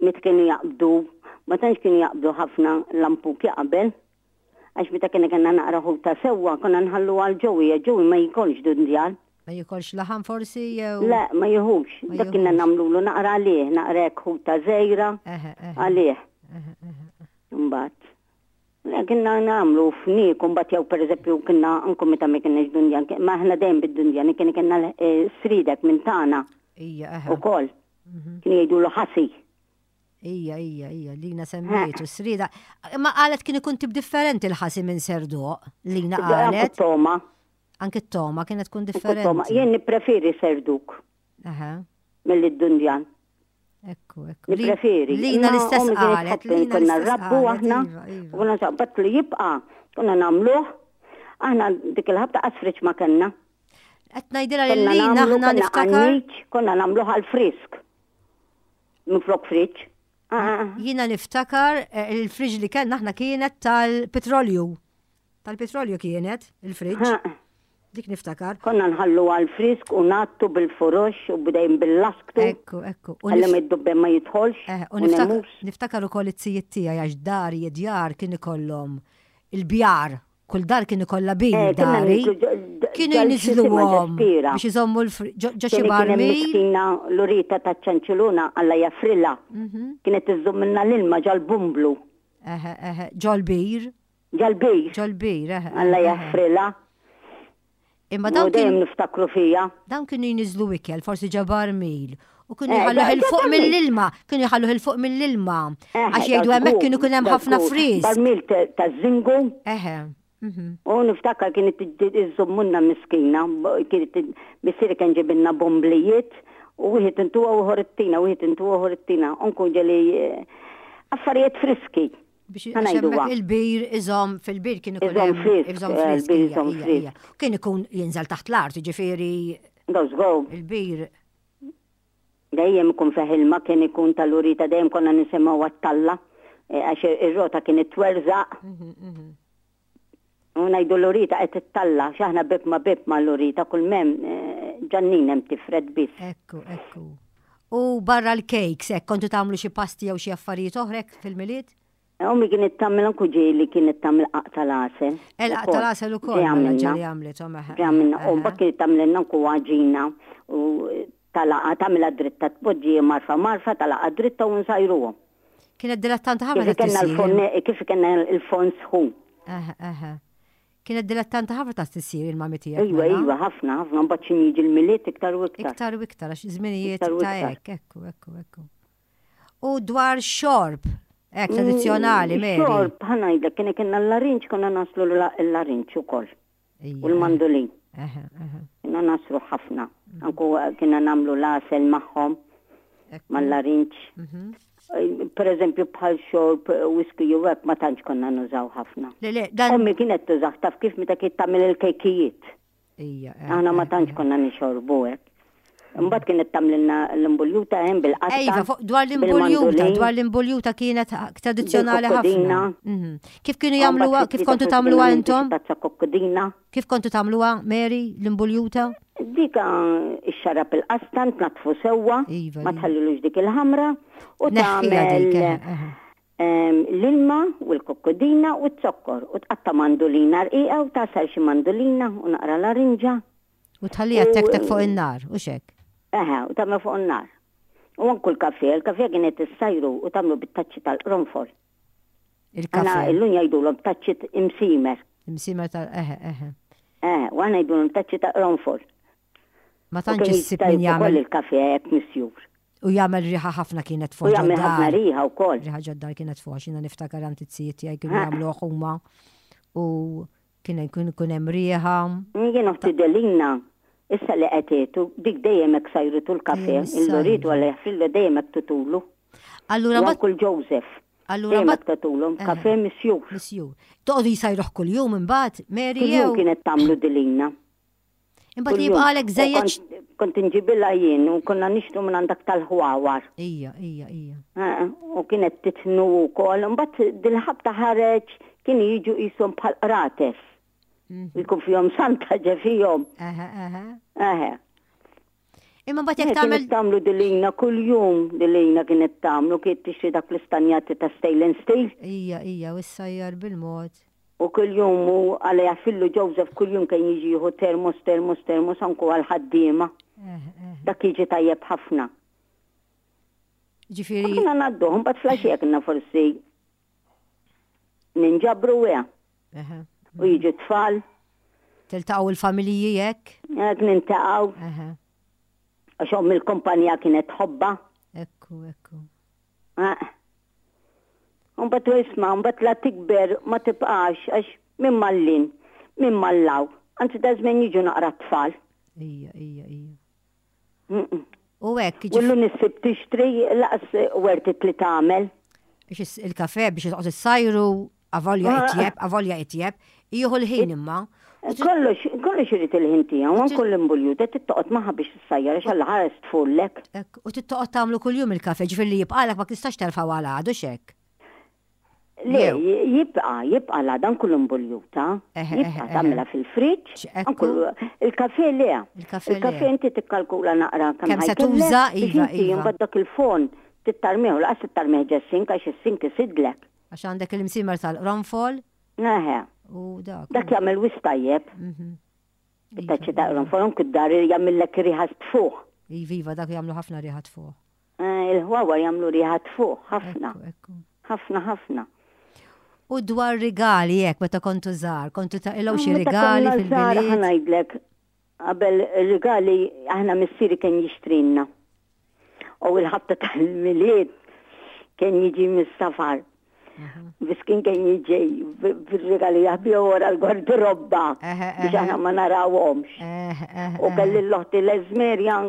meta kienu jaqbdu, ma tantx kienu jaqbdu ħafna lampuki qabel. Għax meta kiena kellna naqra ħuta sewwa konna nħallu għal ġowi, ġowi ma jikolx dundjan.
Ma jikolx laħam forsi jew?
Le, ma jieħux. Dak kienna nagħmlulu naqra għalih, naqra hekk ħuta żgħira għalih. Imbagħad. Le, kienna nagħmlu fniek, u mbagħad jew pereżempju kienna anke meta ma kienx dundjan, ma aħna dejjem bid-dundjan, kien kienna eh, sridek minn tagħna.
Ija, eħe.
Ukoll. Mhm. Kien jgħidulu ħasi.
Ija, ija, ija, lina semmejtu, srida. Ma qalet kien ikun tip differenti l-ħasi minn serduq, lina qalet.
Anke t-toma.
Anke t-toma kienet tkun differenti.
Jien nippreferi serduk. Mill dundjan.
Ekku, ekku.
Nippreferi.
Lina l-istess qalet.
Lina konna rabbu aħna. Iva, iva. U konna bat li jibqa' konna nagħmluh. Aħna dik il-ħabta qasfriċ ma kellna.
Qed ngħidilha lil Lina aħna niftakar.
Konna nagħmluh għal frisk. Minflok friġġ.
Ah, ah, ah. Jiena niftakar eh, il-friġ li kellna aħna kienet tal-petrolju. Tal-petrolju kienet, il-friġġ. Dik niftakar.
Konna nħallu għal frisk u nattu bil-furux u bdejn bil-lasktu.
Ekku, ekku.
Għalli ma id-dubben ma jidħolx.
Eh, u niftakar, niftakar ukoll it-tijiet tiegħi għax dar jedjar kien ikollhom il-bjar. Kull dar kien ikollha bir eh, dari. Kienu jniżluhom biex iżommu l-ġo xi barmil.
Miskina l-urita ta' ċanċiluna alla jafrilla. Mhm. Kienet iżżommilna l-ilma ġal-bumblu.
Eħe, eħe, ġol-bir.
Ġal-bir.
Ġol-bir, eħe.
Alla jaħfrilha.
Imma dawn
dejjem niftakru fija.
Dawn kienu jniżlu ikel, forsi ġo barmil. U kienu eh, jħalluh il fuq mill-ilma, kienu jħalluh il fuq mill-ilma. Eh, Għax jgħidu hemmhekk kienu kien hemm ħafna friż.
Barmil ta' zingu.
Eħe.
Mhm. U niftakar kienet iżżommunna miskina, kienet missieri kien ġibilna bomblijiet u wieħed intuha u ieħor it-tina, wieħed intuha u ieħor it-tina. Unkun ġeli eh, affarijiet friski.
Biex hemmhekk il-bir iżomm fil-bir kien ikun
hemm iżomm eh, frisk.
Iżomm frisk. Kien ikun jinżel taħt l-art, jiġifieri. Il-bir.
Dejjem ikun fih ilma kien ikun tal-urita dejjem konna nisimgħu għat-talla eh, għax ir-rota kien itwerżaq. Mhm, mhm. U ngħidu l-urita qed ittalla, x'aħna bib ma bib ma l-urita kull mem eh, ġannin hemm tifred biss.
Ekku, ekku. U barra l-cakes, hekk kontu tagħmlu xi pasti jew xi affarijiet oħra hekk fil-Milied?
Ommi kienet tagħmel anku ġieli kienet tagħmel qaq tal-għasel.
Il-qaq tal-għasel ukoll mela ġieli għamlithom.
Ġi għamilna, u mbagħad kienet tagħmlilna anku għaġina u talaqa tagħmilha dritta tpoġġi marfa marfa talaqa dritta u nsajruhom.
Kienet dilettanta ħafna ta' tisjir.
Kif kellna l-forn sħun.
Kienet dilettanta ħafna ta' tisjir il-mami tiegħek.
Iva, mela. iva, ħafna, ħafna, mbagħad xi jiġi l-Milied iktar u iktar.
Iktar u iktar, għax żminijiet ta' hekk, ekku, ekku, ekku. U dwar xorb, hekk mm, tradizzjonali, Mary.
Xorb, ħanajdlek, kien kienna l-larinġ, konna naslu l-larinġ ukoll. U l-mandolin. Kienna naslu ħafna. Mm. Anku kienna namlu l-għasel magħhom mal-larinġ. Mhm. Per eżempju bħal xorb whisky jew hekk ma tantx konna nużaw ħafna.
Le, le, dan.
Ommi kienet tużah taf kif meta kienet tagħmel il-kejkijiet.
Ija. Eh,
Aħna ma
eh,
tantx
eh.
konna nixorbu hekk. Imbagħad kienet tagħmlilna l-imbuljuta hemm bil-qatta.
Ejva, dwar l-imbuljuta, dwar l-imbuljuta kienet tradizzjonali ħafna. Mhm. Kif kienu jagħmluha, kif kontu tagħmluha intom?
Tazza kokkodina.
Kif kontu tagħmluha, Mary, l-imbuljuta?
Dika ixxarrab il-qastan, tnaddfu sewwa,
Iva,
ma
iva.
tħallilux dik il-ħamra u
Neħħiha dik,
tagħmel
eħe, eħe.
ehm, l-ilma u l-kokkodina u z-zokkor u tqatta' mandolina rqiqa u tagħsar xi mandolina u naqra larinġa.
U tħalliha
U
tektek fuq in-nar, u xek.
Eħe, u tagħmel fuq in-nar. U anku l-kafè, il-kafè kienet issajru u tagħmlu bit-taċċi tal-qronfol.
Il-kafè.
Aħna illum jgħidulhom taċċi imsimer.
Imsimer tal eħe, eħe.
Eh, u aħna jgħidulhom taċċi ta' qronfol.
Ma tantx issib min jagħmel.
Ukoll il-kafè hekk misjur.
U jagħmel riħa ħafna kienet
fuq. U jagħmel ħafna riħa wkoll.
Riħa ġoddar kienet fuq għax jiena niftakar għand it-sijiet tiegħi kienu jagħmluh huma u kien ikun hemm riħa.
Jien oħti Delina issa li qed dik dejjem hekk sajrutu l-kafè, il-luritu għal jaħfrillu dejjem hekk tutulu.
Allura
ma kull Joseph.
Allura ma
tatulhom kafè misjur.
Misjur. Toqgħodu jsajruh kuljum imbagħad, Mary jew.
Kienet tagħmlu Delina.
Imbagħad li jibqalek żejjed.
Kont inġibilha jien u konna nixtru minn għandak tal-ħwawar.
Ija, ija, ija.
U kienet titnu wkoll. Imbagħad dil-ħabta ħareġ kienu jiġu qishom bħal qrates. Mhm. Jkun fihom santa ġe fihom.
Eħe, eħe.
Eħe.
Imma mbagħad jekk tagħmel.
Kienet tagħmlu dilina kuljum, dilina kienet tagħmlu kienet tixtri dak l-istanjati ta' stainless steel.
Ija, ija, u ssajjar bil-mod.
U kuljum u għala jafillu Joseph kuljum kien jiġi jieħu termos, termos, termos anku għal-ħaddiema. Dak jiġi tajjeb ħafna.
Ġifieri.
Konna ngħadduh, mbagħad flaxija kienna forsi ninġabru wea. U jiġu tfal.
Tiltaqgħu il-familji hekk?
Hekk nintaqgħu. Għax omm il-kumpanija kienet tħobbha.
Ekku, ekku.
Mbagħad u isma' mbagħad la tikber ma tibqax għax minn mallin, minn mallaw. Anzi da żmien jiġu naqra tfal.
Ija, ija, ija. U hekk.
U llum issib tixtri laqas wertit li tagħmel.
Biex il-kafe biex toqgħod issajru avolja ah. itjeb, avolja itjeb, jieħu l-ħin imma.
Kollox, kollox irid il-ħin tiegħu, anke l-imbuljuta tittoqgħod magħha biex tissajjar għax alla ħares tfullek.
U tittoqgħod tagħmlu kuljum il-kafe, ġifieri li jibqalek ma tistax terfgħu għal għadu xek.
Le, jibqa, jibqa la dan kull imbuljuta. Jibqa tagħmilha fil-friġġ. Il-kafe le. Il-kafe inti tikkalkula naqra
kemm se tuża, iva, iva.
Imbagħad dak il-fon tittarmiħu, laqas tittarmiħ ġes-sink għax is-sink isidlek.
Għax għandek il-msimer tal-qronfol.
Eħe.
U dak.
Dak jagħmel wis tajjeb.
Mhm.
It-taċċi ta' qronfol anke d-dar jagħmillek riħa tfuħ.
Iva, iva, dak jagħmlu ħafna riħa tfuħ.
Eh, il-ħwawar jagħmlu riħa tfuħ ħafna. Ħafna ħafna.
U dwar rigali jekk meta kontu żgħar, kontu taqilgħu xi rigali fil-milied.
Ħa ngħidlek, Qabel rigali aħna missieri kien jixtrilna. U l-ħabta tal-Milied kien jiġi mis-safar. Biss kien kien jiġi bil-rigali jaħbihom wara l-gardirobba biex aħna ma narawhomx. U kelli l-oħti l-Eżmerja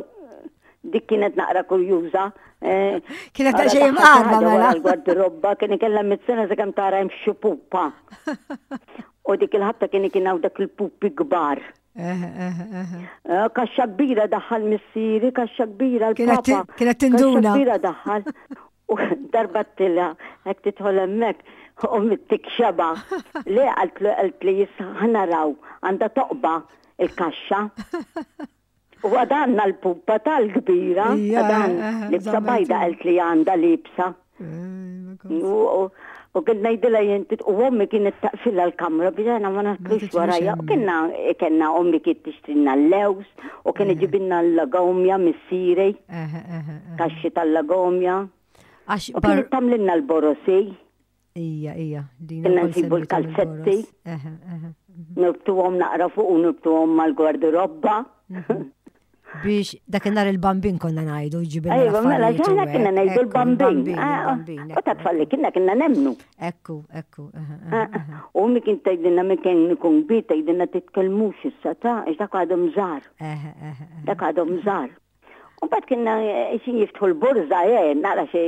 dik kienet naqra kurjuża. Eh,
kienet ta' xejn imqarba
mela. L-gardirobba kien ikella mit-sena sakemm tara hemm xi pupa. U dik il-ħabta kien kien hawn dak il-pupi kbar. Eh, kaxxa kbira daħħal missieri, kaxxa kbira
l-papa. Kienet tinduna.
Kaxxa kbira daħħal. U darba tila, hekk tidħol hemmhekk, u mittik xeba. Le għalt li ħanaraw għandha toqba il-kaxxa. U għadanna l-pupa tal-kbira, għadan libsa bajda għalt li għanda libsa. U kien ngħidilha jien u ommi kienet taqfilha l-kamra biex aħna ma naslux warajja. U kienna kellna ommi kien tixtrilna l-lews u kien iġibilna l-lagomja missieri. Kaxxi tal-lagomja. U kienet tagħmlilna l-borosi.
Ija, ija.
Kienna nsibu l-kalzetti. Nirbtuhom naqra fuq u nirbtuhom mal-gwardirobba.
Mhm. Biex dakinhar il-bambin konna ngħidu ġibilna.
Ejwa, mela ġaħna konna ngħidu l-bambin. Ah, ah. U ta' tfalli kienna kienna nemnu.
Ekku, ekku.
Ah, u mi kien tgħidilna mi kien ikun kbir tgħidilna titkellmux issa ta' għax dak għadhom żgħar. Dak għadhom żgħar. U mbagħad kienna eh, xi jiftħu l-burża, eh, nara xi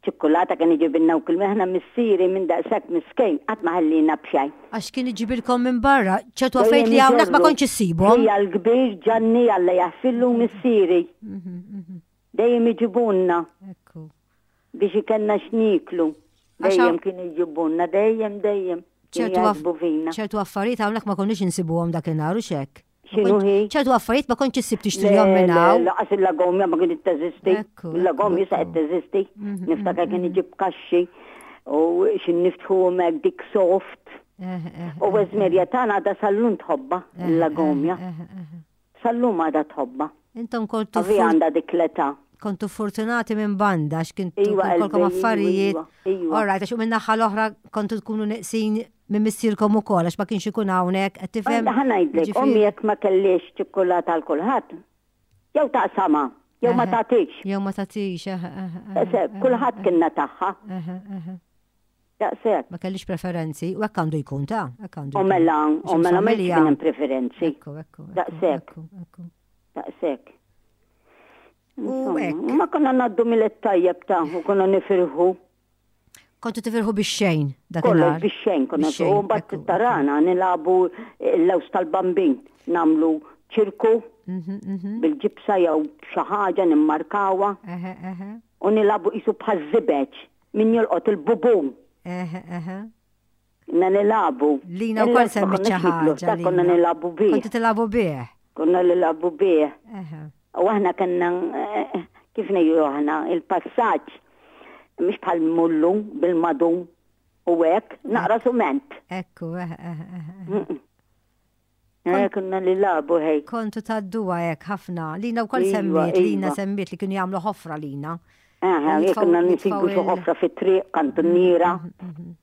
ċikkulata kien iġibilna u kull aħna missieri minn daqshekk miskejn qatt ma ħallina b'xejn.
Għax kien iġibilkom minn barra, ċertu affarijiet li hawnhekk ma kontx issibhom.
Hija l-kbir Ġanni Alla jaħfillu missieri. Mhm, mhm. Dejjem iġibunna.
Ekku.
Biex ikenna x'niklu. Dejjem kien iġibunna, dejjem dejjem.
Ċertu affarijiet hawnhekk ma konniex insibuhom dakinhar u xek.
X'inhu hi?
Ċertu affarijiet ma kontx issib tixtrihom minn hawn.
Laqas il-lagomja ma kienet teżisti. Il-lagomja sa qed teżisti. Mhm, Niftakar kien mhm. iġib kaxxi u xi niftħu hekk dik soft. Eh, eh, u eh, Eżmerja tagħna għadha sallum tħobba il-lagomja. Sallum għadha tħobba.
Intom kontu.
Għavi għandha dik l-età.
Kontu fortunati minn banda għax kintu iva, kolkom affarijiet. Iva, iva. All right, għax minn naħa l-oħra kontu tkunu neqsin minn missierkom ukoll għax ma kienx ikun hawnhekk, qed tifhem?
Ħa ngħidlek, ommi jekk ma kellhiex ċikkulata għal kulħadd, jew taqsamha, jew ma tagħtix.
Jew ma tagħtix,
eħe. Kulħadd kienna tagħha. Daqshekk.
Ma kellix preferenzi, u hekk għandu jkun ta' hekk għandu.
U mela, u mela ma kien hemm preferenzi.
Ekku, ekku.
Daqshekk. Daqshekk.
U hekk.
Ma konna ngħaddu mill tajjeb ta' u konna nifirħu.
Kontu tifirħu bix-xejn
dak Kollox bix-xejn konna u mbagħad tarana nilagħbu l-lews tal-bambin, nagħmlu ċirku mhm, mhm. bil-ġibsa jew xi ħaġa nimmarkawha. U nilagħbu qisu bħaż-żibeġ min jolqot il-bubun. Konna nilagħbu.
Lina wkoll semmiet xi ħaġa.
Konna nilagħbu bih.
Kontu tilagħbu bih.
Konna nilagħbu bih. U aħna kellna eh, kif ngħidu aħna il-passaġġ mhux bħal mullu bil-madum u hekk naqra sument.
Ekku, eh, eh,
eh. Eh, konna li labu ħej.
Kontu tadduha hekk ħafna. Lina wkoll iva, semmiet, Lina iva. semmiet li kienu jagħmlu ħofra lina.
Aha, konna nisibu xi ħofra fit-triq, kantuniera. Mhm, mhm, mhm.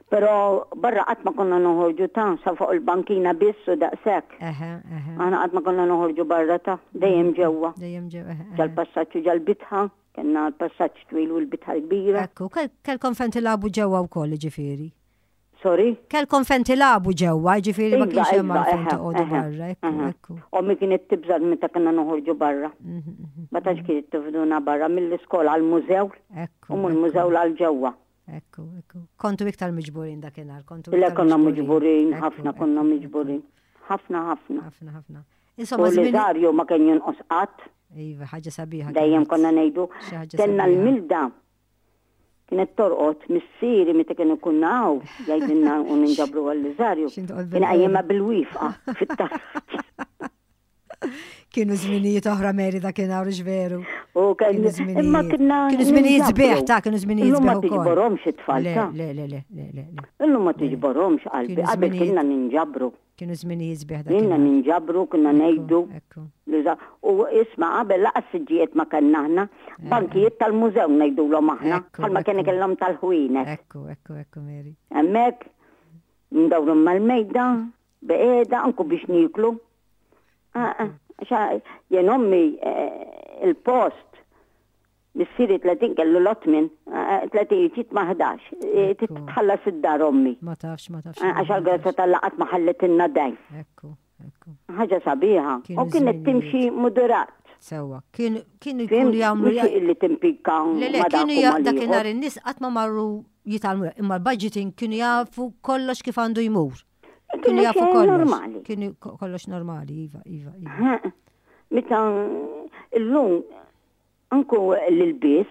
Però barra qatt ma konna noħorġu ta' sa fuq il-bankina biss u daqshekk. Aħna qatt ma konna noħorġu barra ta' dejjem ġewwa.
Dejjem ġewwa.
Ġal-passaġġ u ġal-bitħa, kellna l-passaġġ twil u l-bitħa l-kbira.
Ekku, kellkom fejn tilagħbu ġewwa wkoll ġifieri.
Sorry?
Kellkom fejn tilagħbu ġewwa, ġifieri ma iva, kienx hemm iva, għalfejn toqgħodu barra, ekku, ekku.
Ommi kienet tibża' meta konna noħorġu barra. Mhm, mhm, ma tantx mhm. kienet tifduna barra mill-iskola għall-mużew u mill-mużew għal ġewwa.
Ekku, ekku. Kontu iktar miġburin dakinhar, kontu.
Le konna miġburin, ħafna konna miġburin. Ħafna, ħafna.
Ħafna, ħafna.
Insomma, l-Liżarju ma kien jonqos qatt.
Iva, ħaġa sabiħa.
Dejjem konna ngħidu. Kellna l-milda. Kienet torqod missieri meta kien ikun hawn jgħidilna u ninġabru għall-Liżarju. Kien qajjimha bil-wifqa fit-taraġ.
Kienu żminijiet oħra Mary dakinhar hux veru.
U kienu żminijiet. Imma kienna
kienu żminijiet sbieħ ta' kienu żminijiet
sbieħ. Ma tiġborhomx it-tfal
ta' Le le le le le.
Illum ma tiġborhomx qalbi, qabel kienna ninġabru.
Kienu żminijiet sbieħ
dak. Kienna ninġabru, kienna ngħidu. U isma' qabel laqas siġġijiet ma kellna aħna, eh. bankijiet tal-mużew ngħidulhom aħna, bħalma kien ikellhom tal-ħwienet.
Ekku, ekku, ekku Mary.
Hemmhekk ndawru mal-mejda, Beqiegħda anku biex nieklu. Ah, ah, jien ommi eh, il-post missieri 30 kellu l-otmin, 30 eh, ġiet ma' 11, eh, titħallas id-dar ommi.
Ma tafx, ma tafx.
Għax għal-grazza tal-laqat ma ħalletilna dejn.
Ekku, ekku.
Ħaġa sabiħa. U kienet timxi moderat.
Sewa, kienu jkunu jagħmlu.
Li timpika.
Le, le, kienu dakinhar in-nies qatt ma marru jitgħallmu, imma l-budgeting kienu jafu kollox kif għandu jmur. Kienu jafu kollox.
Normali.
Kienu kollox normali, iva, iva, iva.
Meta illum anku l-bis,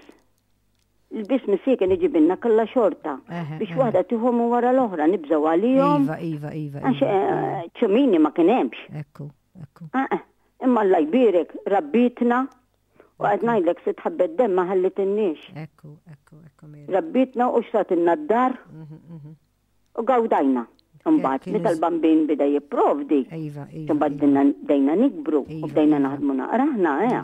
l-bis missier kien iġibilna kollha xorta biex waħda tieħu minn wara l-oħra nibżgħu għalihom.
Iva, iva, iva.
Għax
iva.
ċumini ma kien hemmx.
Ekku, ekku.
Ah, ah.
Imma Alla jbierek, rabbietna u qed ngħidlek sitt ħabbet demm ma ħallitinniex.
Ekku, ekku, ekku.
Rabbietna u xtratilna d-dar mhm, mhm. u gawdajna. Imbagħad meta l-bambin bida jipprovdi,
iva, iva,
imbagħad
iva.
bdejna nikbru u bdejna naħdmu naqra aħna, eh.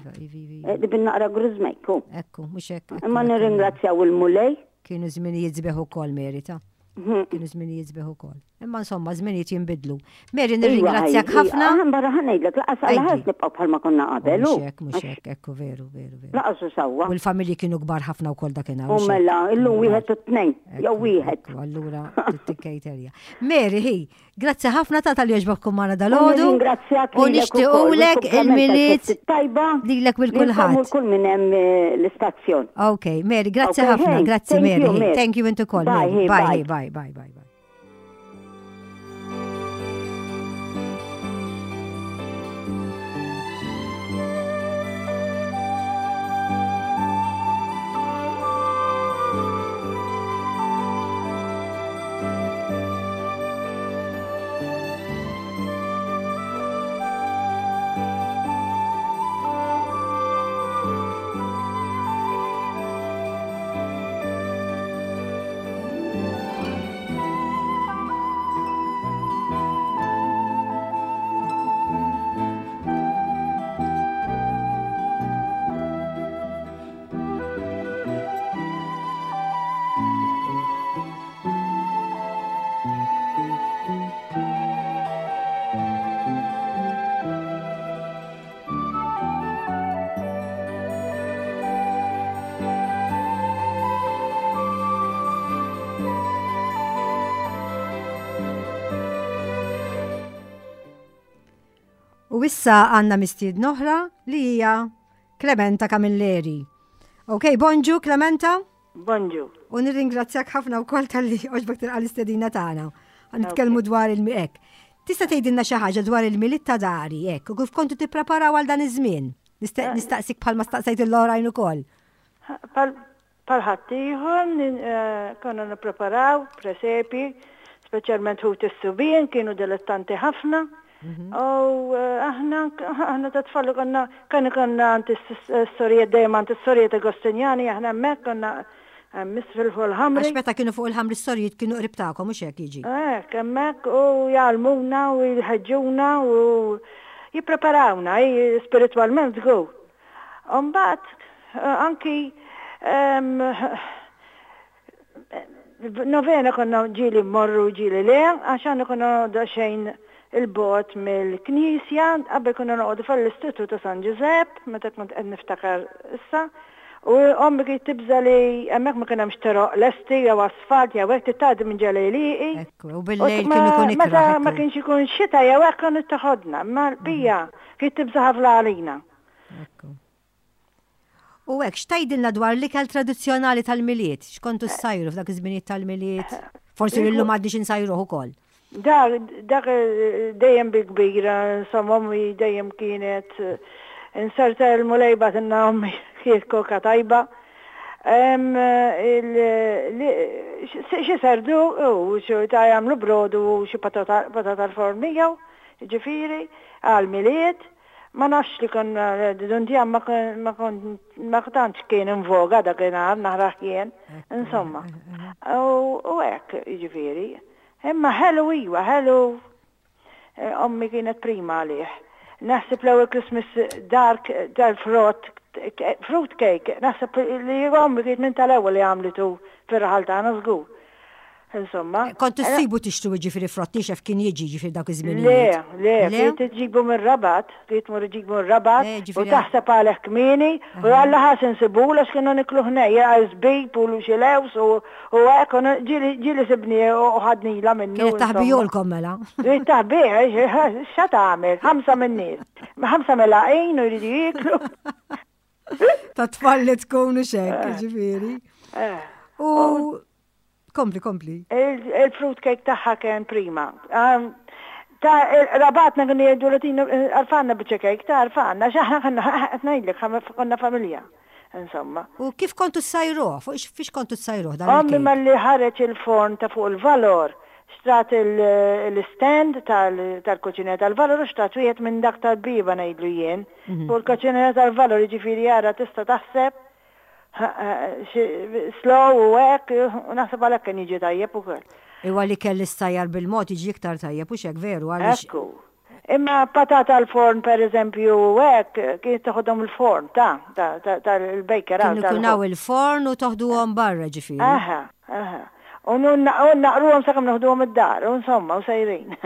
Eh, Dibin naqra grużmejku.
Ekku, mhux hekk.
Imma nirringrazzjaw il-Mulej.
Kienu żminijiet sbieħ ukoll merita. Mhm. Kienu żminijiet sbieħ ukoll. Imma insomma, żminijiet jinbidlu. Mary,
Iva,
nirringrazzjak ħafna.
Aħna barra ħa ngħidlek, laqas għal ħadd nibqgħu bħalma konna qabel.
Mhux hekk, mhux hekk, ekku veru, veru, veru.
Laqas u sewwa.
U l-familji kienu kbar ħafna wkoll dakinhar.
U mela, illum wieħed u tnejn, jew wieħed.
Allura tikkejterja. Mary, hi, grazzi ħafna ta' tal jogħġbok magħna dal-għodu.
Ringrazzjak
U nixtiequlek il-milied
tajba
lilek lil kulħadd.
Kull minn hemm eh, l-istazzjon.
Ok, Mary, grazzi ħafna, grazzi Mary. Thank you intu koll. Bye, bye, bye, bye, bye. U issa għanna mistiedna oħra li hija Clementa Camilleri. Ok, bonġu Clementa.
Bonġu.
U nirringrazzjak ħafna wkoll talli għoġbok tilqa' l-istedina tagħna. Nitkellmu dwar il-hekk. Tista' tgħidilna xi ħaġa dwar il-Milied ta' dari hekk u kif kontu tippreparaw għal dan iż-żmien? Eh. Nistaqsik bħalma staqsejt il-oħrajn ukoll.
Bħal ħaddieħor eh, konna nippreparaw presepi, speċjalment ħut is-subien kienu dilettanti ħafna. Mhm. U eh, aħna aħna ta' tfal konna kan konna għand is-sorijiet dejjem għand is-sorijiet Agostinjani aħna hemmhekk konna miss fil fuq il-ħamri.
Għax meta kienu fuq il-ħamri s-sorijiet kienu qrib tagħkom mhux hekk jiġi.
Hekk hemmhekk u jgħallmuna u jħeġġuna u jippreparawna spiritwalment żgur. U mbagħad eh, anki ehm, Novena konna ġieli mmorru ġieli le, għax aħna konna noqogħdu daqsxejn 'il bogħod mill-knisja, qabel konna noqogħdu fl-Istitut ta' San Ġużepp, meta kont qed niftakar issa, u ommi kienet tibża' li hemmhekk ma kien hemmx toroq lesti jew asfalt jew hekk, trid tgħaddi minn ġo l-għelieqi.
Ekku, u bil-lejl kien ikun ikrah.
Meta ma kienx ikun xita jew hekk kienet toħodna, imma l-bqija kienet tibża' ħafna għalina.
Ekku. U hekk, x'tgħidilna dwar l-ikel tradizzjonali tal-Milied? X'kontu ssajru f'dak iż-żminijiet tal-Milied? Forsi li llum għadniex insajruh ukoll.
Dak, dak dejjem bi kbira, insomma ommi dejjem kienet inserta l-Mulej bagħtilna ommi kienet koka tajba. Xi serdu u xi ta' jagħmlu brodu u xi patata l-forn miegħu, jiġifieri, għall-Milied. Ma nafx li konna dundjan ma ma tantx kien in voga dakinhar naħrah jien, insomma. U hekk, jiġifieri. Imma ħelu iva, ħelu ommi kienet prima għalih. Naħseb l-ewwel Christmas dark tal-frott, fruit cake, naħseb li ommi kienet minn tal-ewwel li għamlitu fir-raħal tagħna żgur. Insomma.
Kont issibu tixtru jiġifieri frott niexef kien jiġi jiġifieri dawk iż-żminijiet.
Le, le, kien iġibu mir-Rabat, kien tmur iġibu mir-Rabat u taħseb għalih kmieni u Alla ħares insibulu għax kienu nikluh nej, żbib u xi lewż u hekk ġieli sibni u ħadnilha minnu.
Kienet taħbihulkom mela.
Kienet taħbih, x'ha tagħmel, ħamsa min-nies. Ħamsa melaqin u jridu jieklu.
Ta' tfal li tkun u xek, eh. ġifieri.
Eh.
U kompli, kompli.
Il-fruit cake tagħha kien prima. Ta' rabatna kienu jgħidu latina għarfanna biċċa cake, ta' għarfanna, xaħna konna qed ngħidlek konna familja. Insomma.
U kif kontu ssajruh? Fuq fiex kontu ssajruh dan
Ommi malli ħareġ il-forn ta' fuq il-valor. Xtrat l-istand tal-Koċinera tal-Valor u xtrat wieħed minn dak tal-bieba ngħidlu jien. Fuq il-Koċinera tal-Valor jiġifieri ara tista' taħseb slow u hekk u naħseb għalhekk kien jiġi tajjeb ukoll.
Iwa l-ikel li ssajjar bil-mod jiġi iktar tajjeb hux hekk veru għaliex.
Ekku. Imma patata l-forn per eżempju u hekk kienet toħodhom il-forn ta' tal-baker.
Kien ikun hawn il-forn u toħduhom barra ġifieri.
Aha, aha. U naqruhom sakemm noħduhom id-dar, u insomma, u sejrin.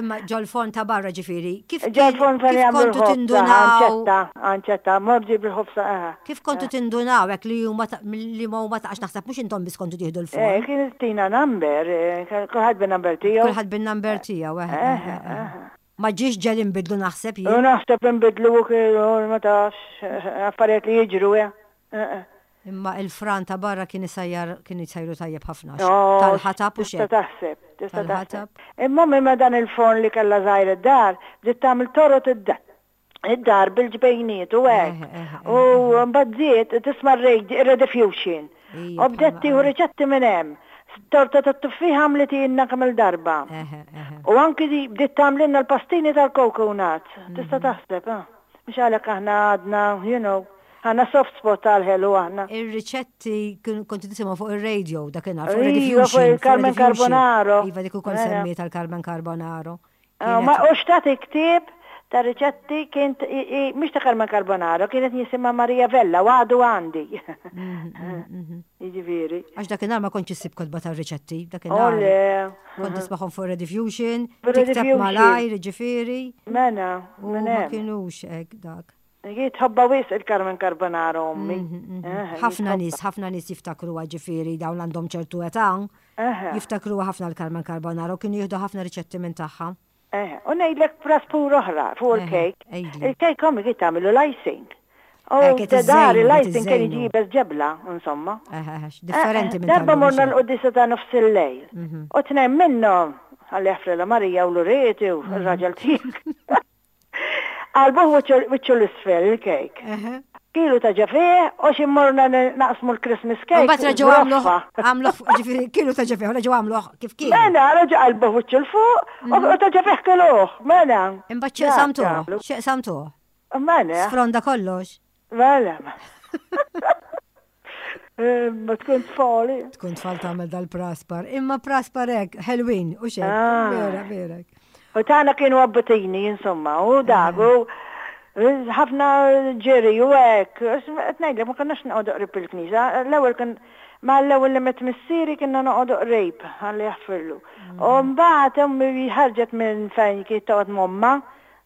Imma ġol-forn ta' barra ġifieri, kif
Ġol-forn fejn jagħmlu
kontu tindunaw?
Anċetta, anċetta, mor ġib il-ħobsa, aha.
Kif kontu tindunaw hekk li huma li ma huma ta' għax naħseb mhux intom biss kontu tieħdu l-forn.
Eh, kien tina number, eh, kulħadd bin-number tiegħu.
Kulħadd bin-number tiegħu, eh. eh, eh, Ma ġiex ġel inbidlu naħseb
jien. U naħseb inbidlu u kienu ma tafx, affarijiet li jiġru, eh.
Imma il-fran ta' barra kien isajjar kien jsajru tajjeb ħafna. Tal-ħatab u
xejn. Tista' taħseb, tista' taħseb. Imma imma dan il-forn li kellha żgħir id-dar, bdiet tagħmel torot id-dar bil-ġbejniet u hekk. U mbagħad żied tisma' r-rediffusion. U bdiet tieħu riċetti minn hemm. Torta tat-tuffieħ għamlitilna kemm-il darba. U anki bdiet tagħmlilna l-pastini tal-coconut. Tista' taħseb, ah. Mhux għalhekk aħna għadna, you know, għandna soft spot għall-ħelu aħna.
Ir-riċetti kontu tisimgħu fuq ir-radio dakinhar, fuq Iva, fuq
il-Carmen Carbonaro.
Iva, dik ukoll semmiet għal-Carmen Carbonaro.
Ah, ma u xtati ktieb ta' riċetti kien mhux ta' Carmen Carbonaro, kienet jisimha Maria Vella u għadu għandi. Mhm, mhm, mhm. Jiġifieri.
Għax dakinhar ma kontx issib kotba ta' riċetti, dakinhar. Oh, Kont tismagħhom fuq Rediffusion, tikteb malajr, ġifieri.
Mela,
U ma kienux hekk dak.
Hi tħobbha wisq il-Carmen Carbonaro ommi.
Ħafna nies, ħafna nies jiftakruha ġifieri dawn għandhom ċertu età. Jiftakruha ħafna l-Carmen Carbonaro, kienu jieħdu ħafna riċetti minn tagħha.
U ngħidlek praspur oħra fuq il-kejk. Il-kejk ommi kien tagħmilu l-icing. U dar il-icing kien jiġi jibes ġebla, insomma.
Differenti minn
Darba morna l-quddiesa ta' nofs il-lejl. U tnejn minnhom, Alla jaħfrilha Marija u l-urieti u r-raġel tiegħek. Qalbuh wiċċu l-isfel il-kejk. Kilu ta' ġefih u xi morna naqsmu l-Christmas cake.
Mbagħad reġgħu għamluh għamluh ġifieri kilu ta' ġefih u reġgħu għamluh kif kien.
Mela, reġgħu qalbuh wiċċu 'l fuq u ta' ġefih kiluh, mela.
Imbagħad x'qsamtuh? X'qsamtuh?
Mela.
Sfronda kollox.
Mela. Ma tkun tfali.
Tkun tfal tagħmel dal-praspar. Imma praspar hekk, ħelwin, u xejn. Ah. Vera, vera.
U tagħna kienu abbutini, insomma, u dak, u ħafna ġiri u hekk. Qed ngħidlek ma konniex noqogħdu qrib il-knisja. L-ewwel kien ma l-ewwel li met missieri kienna noqogħdu qrib, ħalli jaħfirlu. U mbagħad ommi ħarġet minn fejn kienet toqgħod m'ommha,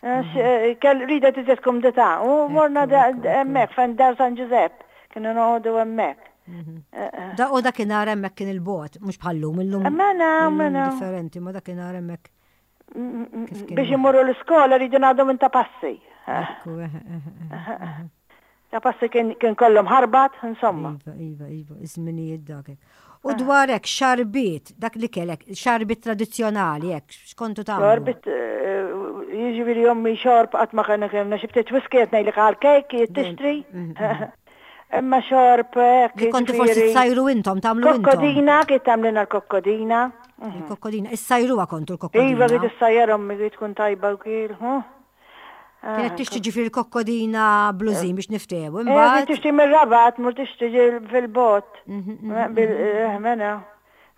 Kell ridet iżjed kumdità u morna hemmhekk fejn dar San Ġużepp, kienu noqogħdu hemmhekk.
Da u dakinhar hemmhekk kien il-bogħod, mhux bħal-lum, illum.
Mela, mela.
Differenti, ma dakinhar hemmhekk.
Biex imorru l-iskola rridu ngħaddu minn ta' passi.
Ekku, eħe, eħe.
Ta' passi kien kollhom ħarbat, insomma.
Iva, iva, iva, iż-żminijiet dak. U ah. dwar hekk xarbiet, dak li kellek, xarbiet tradizzjonali hekk, x'kontu tagħmlu?
Xarbiet eh, jiġifieri ommi xorb qatt ma kellna kellna xi ftit whisky qed ngħidlek għal kejk tixtri. Mm, mm, mm. Imma xorb hekk.
Li kontu forsi tsajru intom tagħmlu intom.
Kokkodina, kif tagħmlilna l-kokkodina.
Mhm. Il-kokkodina, issajruha kontu l-kokkodina.
Iva, kif issajjar ommi kif tkun tajba wkiel.
Kienet tixtri ġifieri l-kokkodina blużin biex niftehmu. Eh, Imbagħad.
Tixtri mir-Rabat, mur tixtri fil-bot. Mhm, mhm, mhm. Mela,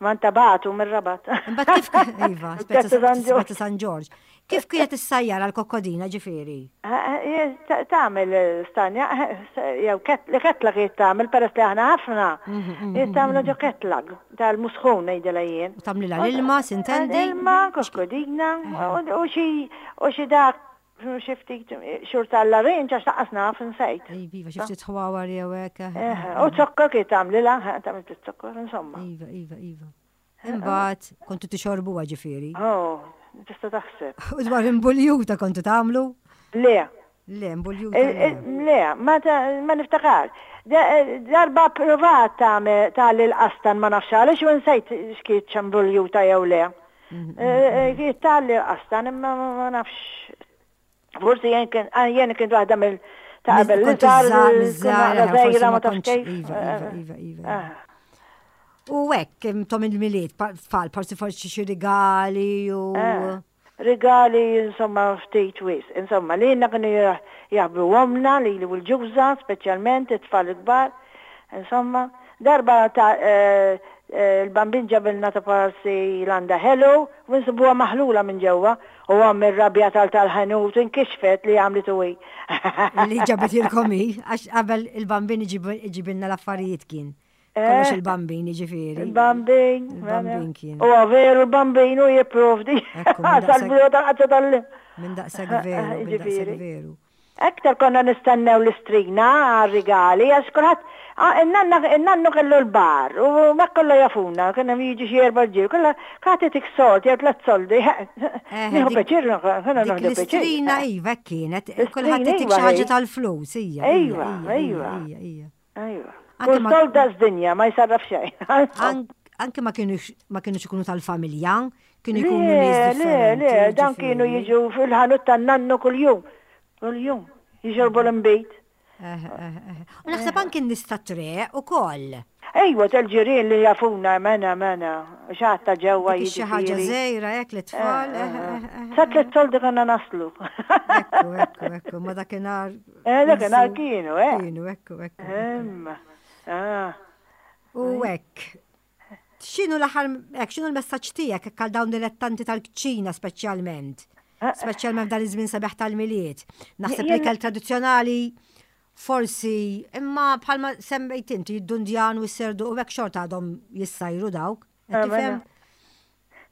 ma ntabatu mir-Rabat.
Imbagħad kif iva, Spezza San Ġorġ. Kif kienet issajjar għal kokkodina ġifieri?
Eh, eh, tagħmel stanja, jew li ketla kienet tagħmel peress li aħna ħafna. Tagħmlu ġo ketla tal-musħun ngħidilha jien.
U tagħmlilha l-ilma, sintendi?
Ilma, kokkodina, u xi dak xi ftit xhur tal-larinġ għax lanqas naf insejt.
Iva, xi ftit ħwawar jew hekk.
U zokkor kif tagħmlilha, tagħmel ftit zokkor, insomma.
Iva, iva, iva. Imbagħad kontu tixorbuha ġifieri.
Oh, tista' taħseb.
U dwar imbuljuta kontu tagħmlu?
Le.
Le, imbuljuta.
Le, ma niftakar. Darba provat tagħmel l-qastan ma nafx għaliex u nsejt x'kiet imbuljuta jew le. Kienet tgħalli l-qastan imma ma nafx. Forsi jien kien ah, jien kien waħda mill ta' qabel li żgħar, żgħira ma tafx kif.
Iva, iva, iva, iva. Ah. U hekk intom il-Milied, tfal, forsi forsi xi rigali u.
Eh, rigali insomma ftit wisq. Insomma, lilna kienu jaħbru omna, lili u l-ġuża, speċjalment it-tfal il-kbar. Insomma, darba ta' eh, eh, il-bambin ġabilna ta' parsi landa ħelu u nsibuha maħlula minn ġewwa u omm irrabjat għal tal-ħanut inkixfet li għamlitu hi.
Li ġabitilkom hi, għax qabel il-bambin iġibilna l-affarijiet kien. Kollox eh? il-bambin, ġifiri.
Il-bambin.
Il-bambin kien.
U veru il-bambin u jiprovdi. Sal-biro tal-qazza tal
Minn daqseg veru, minn daqseg veru.
Aktar konna nistennew l-istrina għal-rigali, għax kulħadd in-nannu kellu l-bar u ma kollu jafuna, kien hemm jiġi xi erba' ġir, kollha kulħadd itik sold jew tliet soldi. Eh, Nieħu pjaċir, konna
nieħdu pjaċir. L-istrina iva kienet, kulħadd itik xi ħaġa tal-flus,
ija. Iva, iva. Iva. Kull sold daqs dinja, ma jsarraf xejn.
Anke ma kienux ikunu tal-familja, kienu jkunu nies
differenti. Le, le, dan kienu jiġu fil-ħanut tan-nannu kuljum. Kuljum. Jixorbu l-inbid.
U naħseb anke n-nies tat-triq ukoll.
Ejwa, tal-ġirien li jafuna, mena, mena, xaħat ta' ġewwa
jiġifieri. Xi ħaġa żgħira hekk lit-tfal.
Sa tliet soldi konna naslu.
Ekku, ekku, ekku, ma dakinhar
Eh, dakinhar kienu, eh.
Kienu, ekku, ekku. Imma, ah. U hekk. X'inhu l-aħħar, hekk, x'inhu l-messaġġ tiegħek hekk għal dawn dilettanti tal-kċina speċjalment? Eh, eh. Speċjalment f'dan iż-żmien sabiħ tal-Milied. Naħseb li kell tradizzjonali forsi, imma bħalma semmejt inti, id-dundjan u s-serdu u hekk xorta għadhom jissajru dawk.
Eh, tifhem?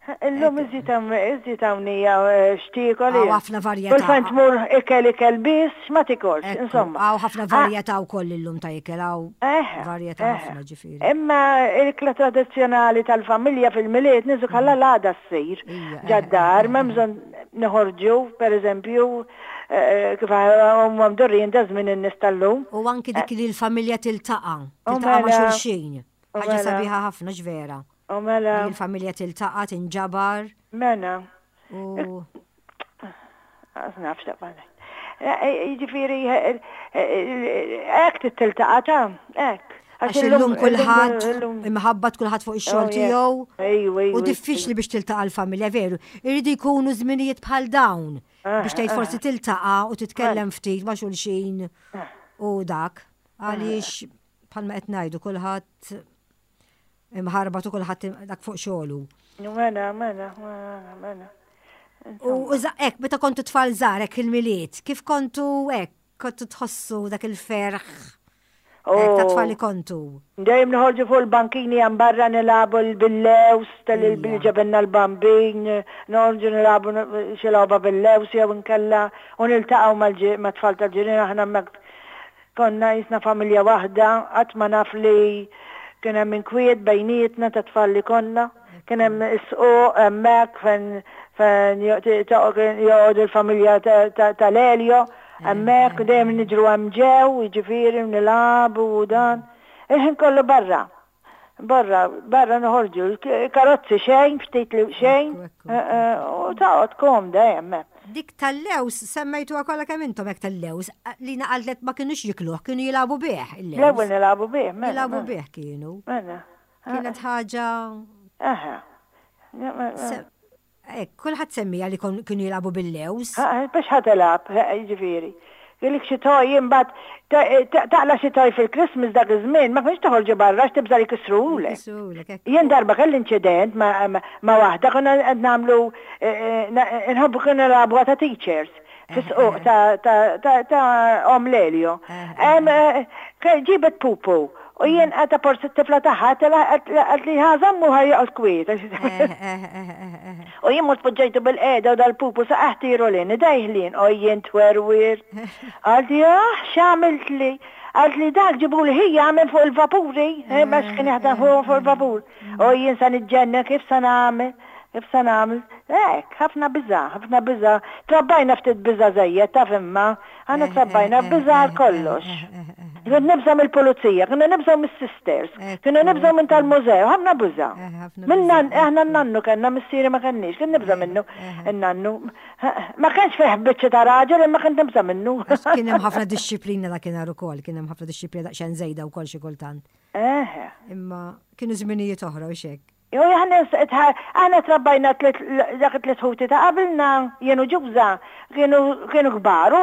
Illum iżjed hawn iżjed hawn hija eh, x'tiekol.
Hawn ħafna varjetà.
Kull fejn tmur ikel ikel biss ma tikolx, insomma.
Hawn ħafna varjetà wkoll illum ta' ikel hawn varjetà ħafna ġifieri.
Imma l-ikla tradizzjonali tal-familja fil-Milied niżu kalla mm. l-għada ssir. Ġaddar, m'hemm bżonn noħorġu, pereżempju, eh, kif huma mdorrijin da żmien in-nies tal-lum.
U anki dik li l-familja tiltaqa', tiltaqa' ma' mela. xulxin. Ħaġa mela. sabiħa ħafna x'vera.
U mela.
Li l-familja tiltaqa', tinġabar.
Mela. U. Nafx ta' Jiġifieri hekk tiltaqa' ta' hekk.
Għax illum kulħadd imħabbat kulħadd fuq ix-xogħol oh, tiegħu. U diffiċli biex tiltaqa' l-familja veru. Irridu jkunu żminijiet bħal dawn ah, biex tgħid forsi ah. tiltaqa' u titkellem ftit ma' xulxin ah. u dak. Għaliex bħalma qed ngħidu kulħadd imħarbat u kulħadd dak fuq xogħlu.
Mela, mela, mela, mela.
U hekk meta kontu tfal żgħar hekk il-Milied, kif kontu hekk kontu tħossu dak il-ferħ oh. ta' tfal li kontu?
Dejjem noħorġu fuq il-bankini hemm barra nilagħbu bil-lews tal-ġabenna l-bambin, noħorġu nilagħbu xi logħba bil-lews jew inkella u niltaqgħu mat-tfal tal-ġirien aħna hemmhekk Konna qisna familja waħda, qatt ma naf li kien hemm inkwiet bejnietna ta' tfal li konna. Kien hemm is-squq hemmhekk fejn fejn joqogħdu l-familja tal-Elio hemmhekk, dejjem niġru hemm ġew, jiġifieri nilagħbu u dan. Il-ħin kollu barra. Barra, barra noħorġu, karozzi xejn, ftit li xejn, u taqgħod komda hemm.
Dik tal-lews semmejtuha kollha kemm intom hekk tal-lews, li naqallet ma kinux jikluh, kienu jilagħbu bih.
L-ewwel nilagħbu bih,
mela. Jilagħbu mela. bih kienu.
Mela.
Kienet ħaġa.
Aha.
Hekk, kulħadd semmieha li kienu jilagħbu bil-lewż.
Biex ħa tilgħab, jiġifieri. Kellek xi toy imbagħad taqla' xi toy fil-Christmas dak iż-żmien ma kienx toħorġu barra għax tibża' li jkissruhulek. Jien darba kelli inċident ma' waħda konna qed nagħmlu inħobbu konna nilagħbuha ta' teachers fis-squq ta' omm Lelio. Ġibet pupu U jien għata forsi t-tifla tagħha għalt li ħa żammu ħa joqgħod kwiet. U jien mort poġġejtu bil-qiegħda u dal-pupu saqaħ tiru lin, idejh lin, u jien twerwir. Għalt li ah x'għamilt li? Għalt li dak ġibu li ħija minn fuq il-vapuri, eh, ma kien jaħdem fuq il-vapur. U jien sa niġġenna kif sa nagħmel, kif sa nagħmel. Hekk, ħafna biża', ħafna biża'. Trabbajna ftit biża' żejjed taf imma. Aħna trabbajna biża' għal kollox. Kont nibża' mill-pulizija, konna nibżgħu mis-sisters, konna nibżgħu minn tal-mużew, ħafna biża'. Minna aħna n-nannu kellna missieri ma kenniex, kont nibża' minnu n-nannu. Ma kienx fih biċċa ta' raġel imma kont nibża' minnu.
Kien hemm ħafna dixxiplina dakinhar ukoll, kien hemm ħafna dixxiplina daqsxejn żejda wkoll xi kultant.
Eħe.
Imma kienu żminijiet oħra u xek.
Jo, aħna aħna trabbajna dak it-tliet ħuti ta' qabilna, jien u Ġuża, kienu kienu kbar u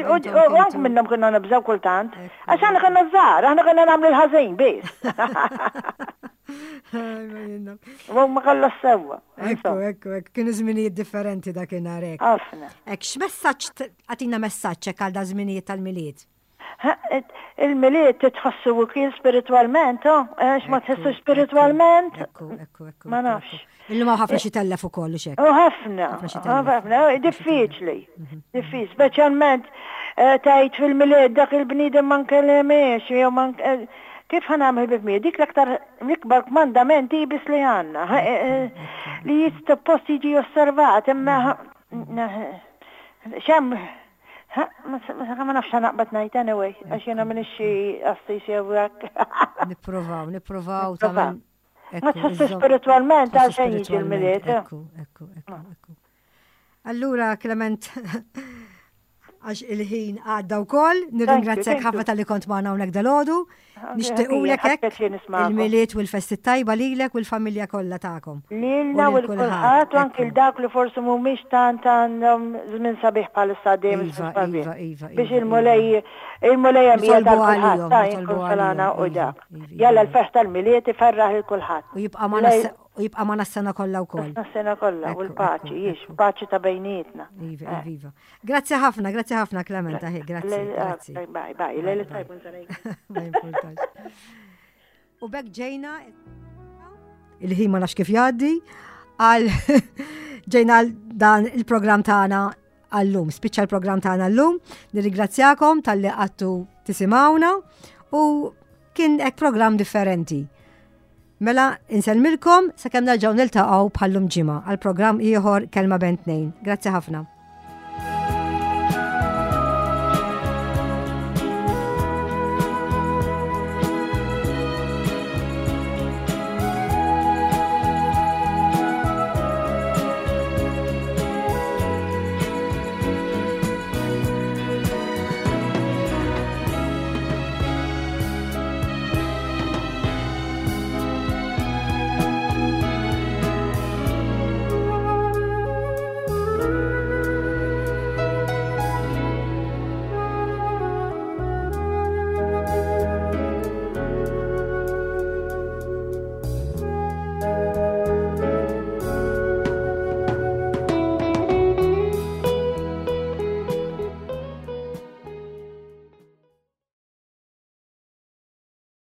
u anke minnhom kienu nibżgħu kultant. Għax aħna konna żgħar, aħna konna nagħmlu l-ħażin biss. U ma kollha sewwa.
Ekku, ekku, ekku, kienu żminijiet differenti dakinhar hekk.
Ħafna.
Hekk x'messaġġ għatina messaġġ hekk għal da żminijiet tal-Milied?
Il-Milied titħossu wkoll spiritwalment, oh, għax ma tħossu spiritwalment.
Ekku, ekku, ekku.
Ma nafx.
Illum hawn ħafna xi tellef ukoll u xek.
U ħafna, ħafna, diffiċli. Mhm. Diffiċli, speċjalment eh, tgħid fil-Milied dak il-bniedem ma nkellimiex jew ma eh, kif ħa nagħmel ħbieb miegħi? Dik l-aktar l-ikbar kmandament ibis li għandna eh, li jistoppost jiġi osservat imma mhm. xem Ma nafx naqbad ngħid anyway, għax jiena m'iniex xi qassis jew hekk.
Nippruvaw, nippruvaw tagħmel.
Ma tħossu spiritualment għal xejn jiġi l-Milied.
Ekku, ekku, ekku, ekku. Allura, Clement, għax il-ħin għadda wkoll, nirringrazzjak ħafna tal-li kont magħna hawnhekk dalodu. Nixtiequlek hekk il-Milied u l-festi tajba lilek u l-familja kollha tagħkom.
Lilna u l-kulħadd u anki l dawk li forsi mhumiex tant għandhom żmien sabiħ bħalissa għaddejjem
żmien
iva, sabiħ.
Iva, iva,
Biex il-Mulej il-Mulej hemm qiegħed għal kulħadd ta' jikkonsolana u
iva,
dak. Jalla l-ferħ tal-Milied iferraħ lil kulħadd.
U jibqa' magħna u jibqa' magħna s-sena kollha wkoll.
S-sena kollha u l-paċi, jiex, paċi ta' bejnietna.
Iva, eh. iva. Grazzi ħafna, grazzi ħafna Clementa, grazzi. Grazzi.
Bye, bye, lejla tajba
Ma importax. U bekk ġejna il-ħin ma nafx kif jgħaddi għal ġejna dan il-programm tagħna għallum. Spiċċa l-programm tagħna llum. Nirringrazzjakom talli qattu tisimgħuna u kien hekk programm differenti. Mela, insellmilkom sakemm nerġgħu niltaqgħu bħallum ġimgħa għal programm ieħor Kelma Bejn Tnejn. Grazzi ħafna.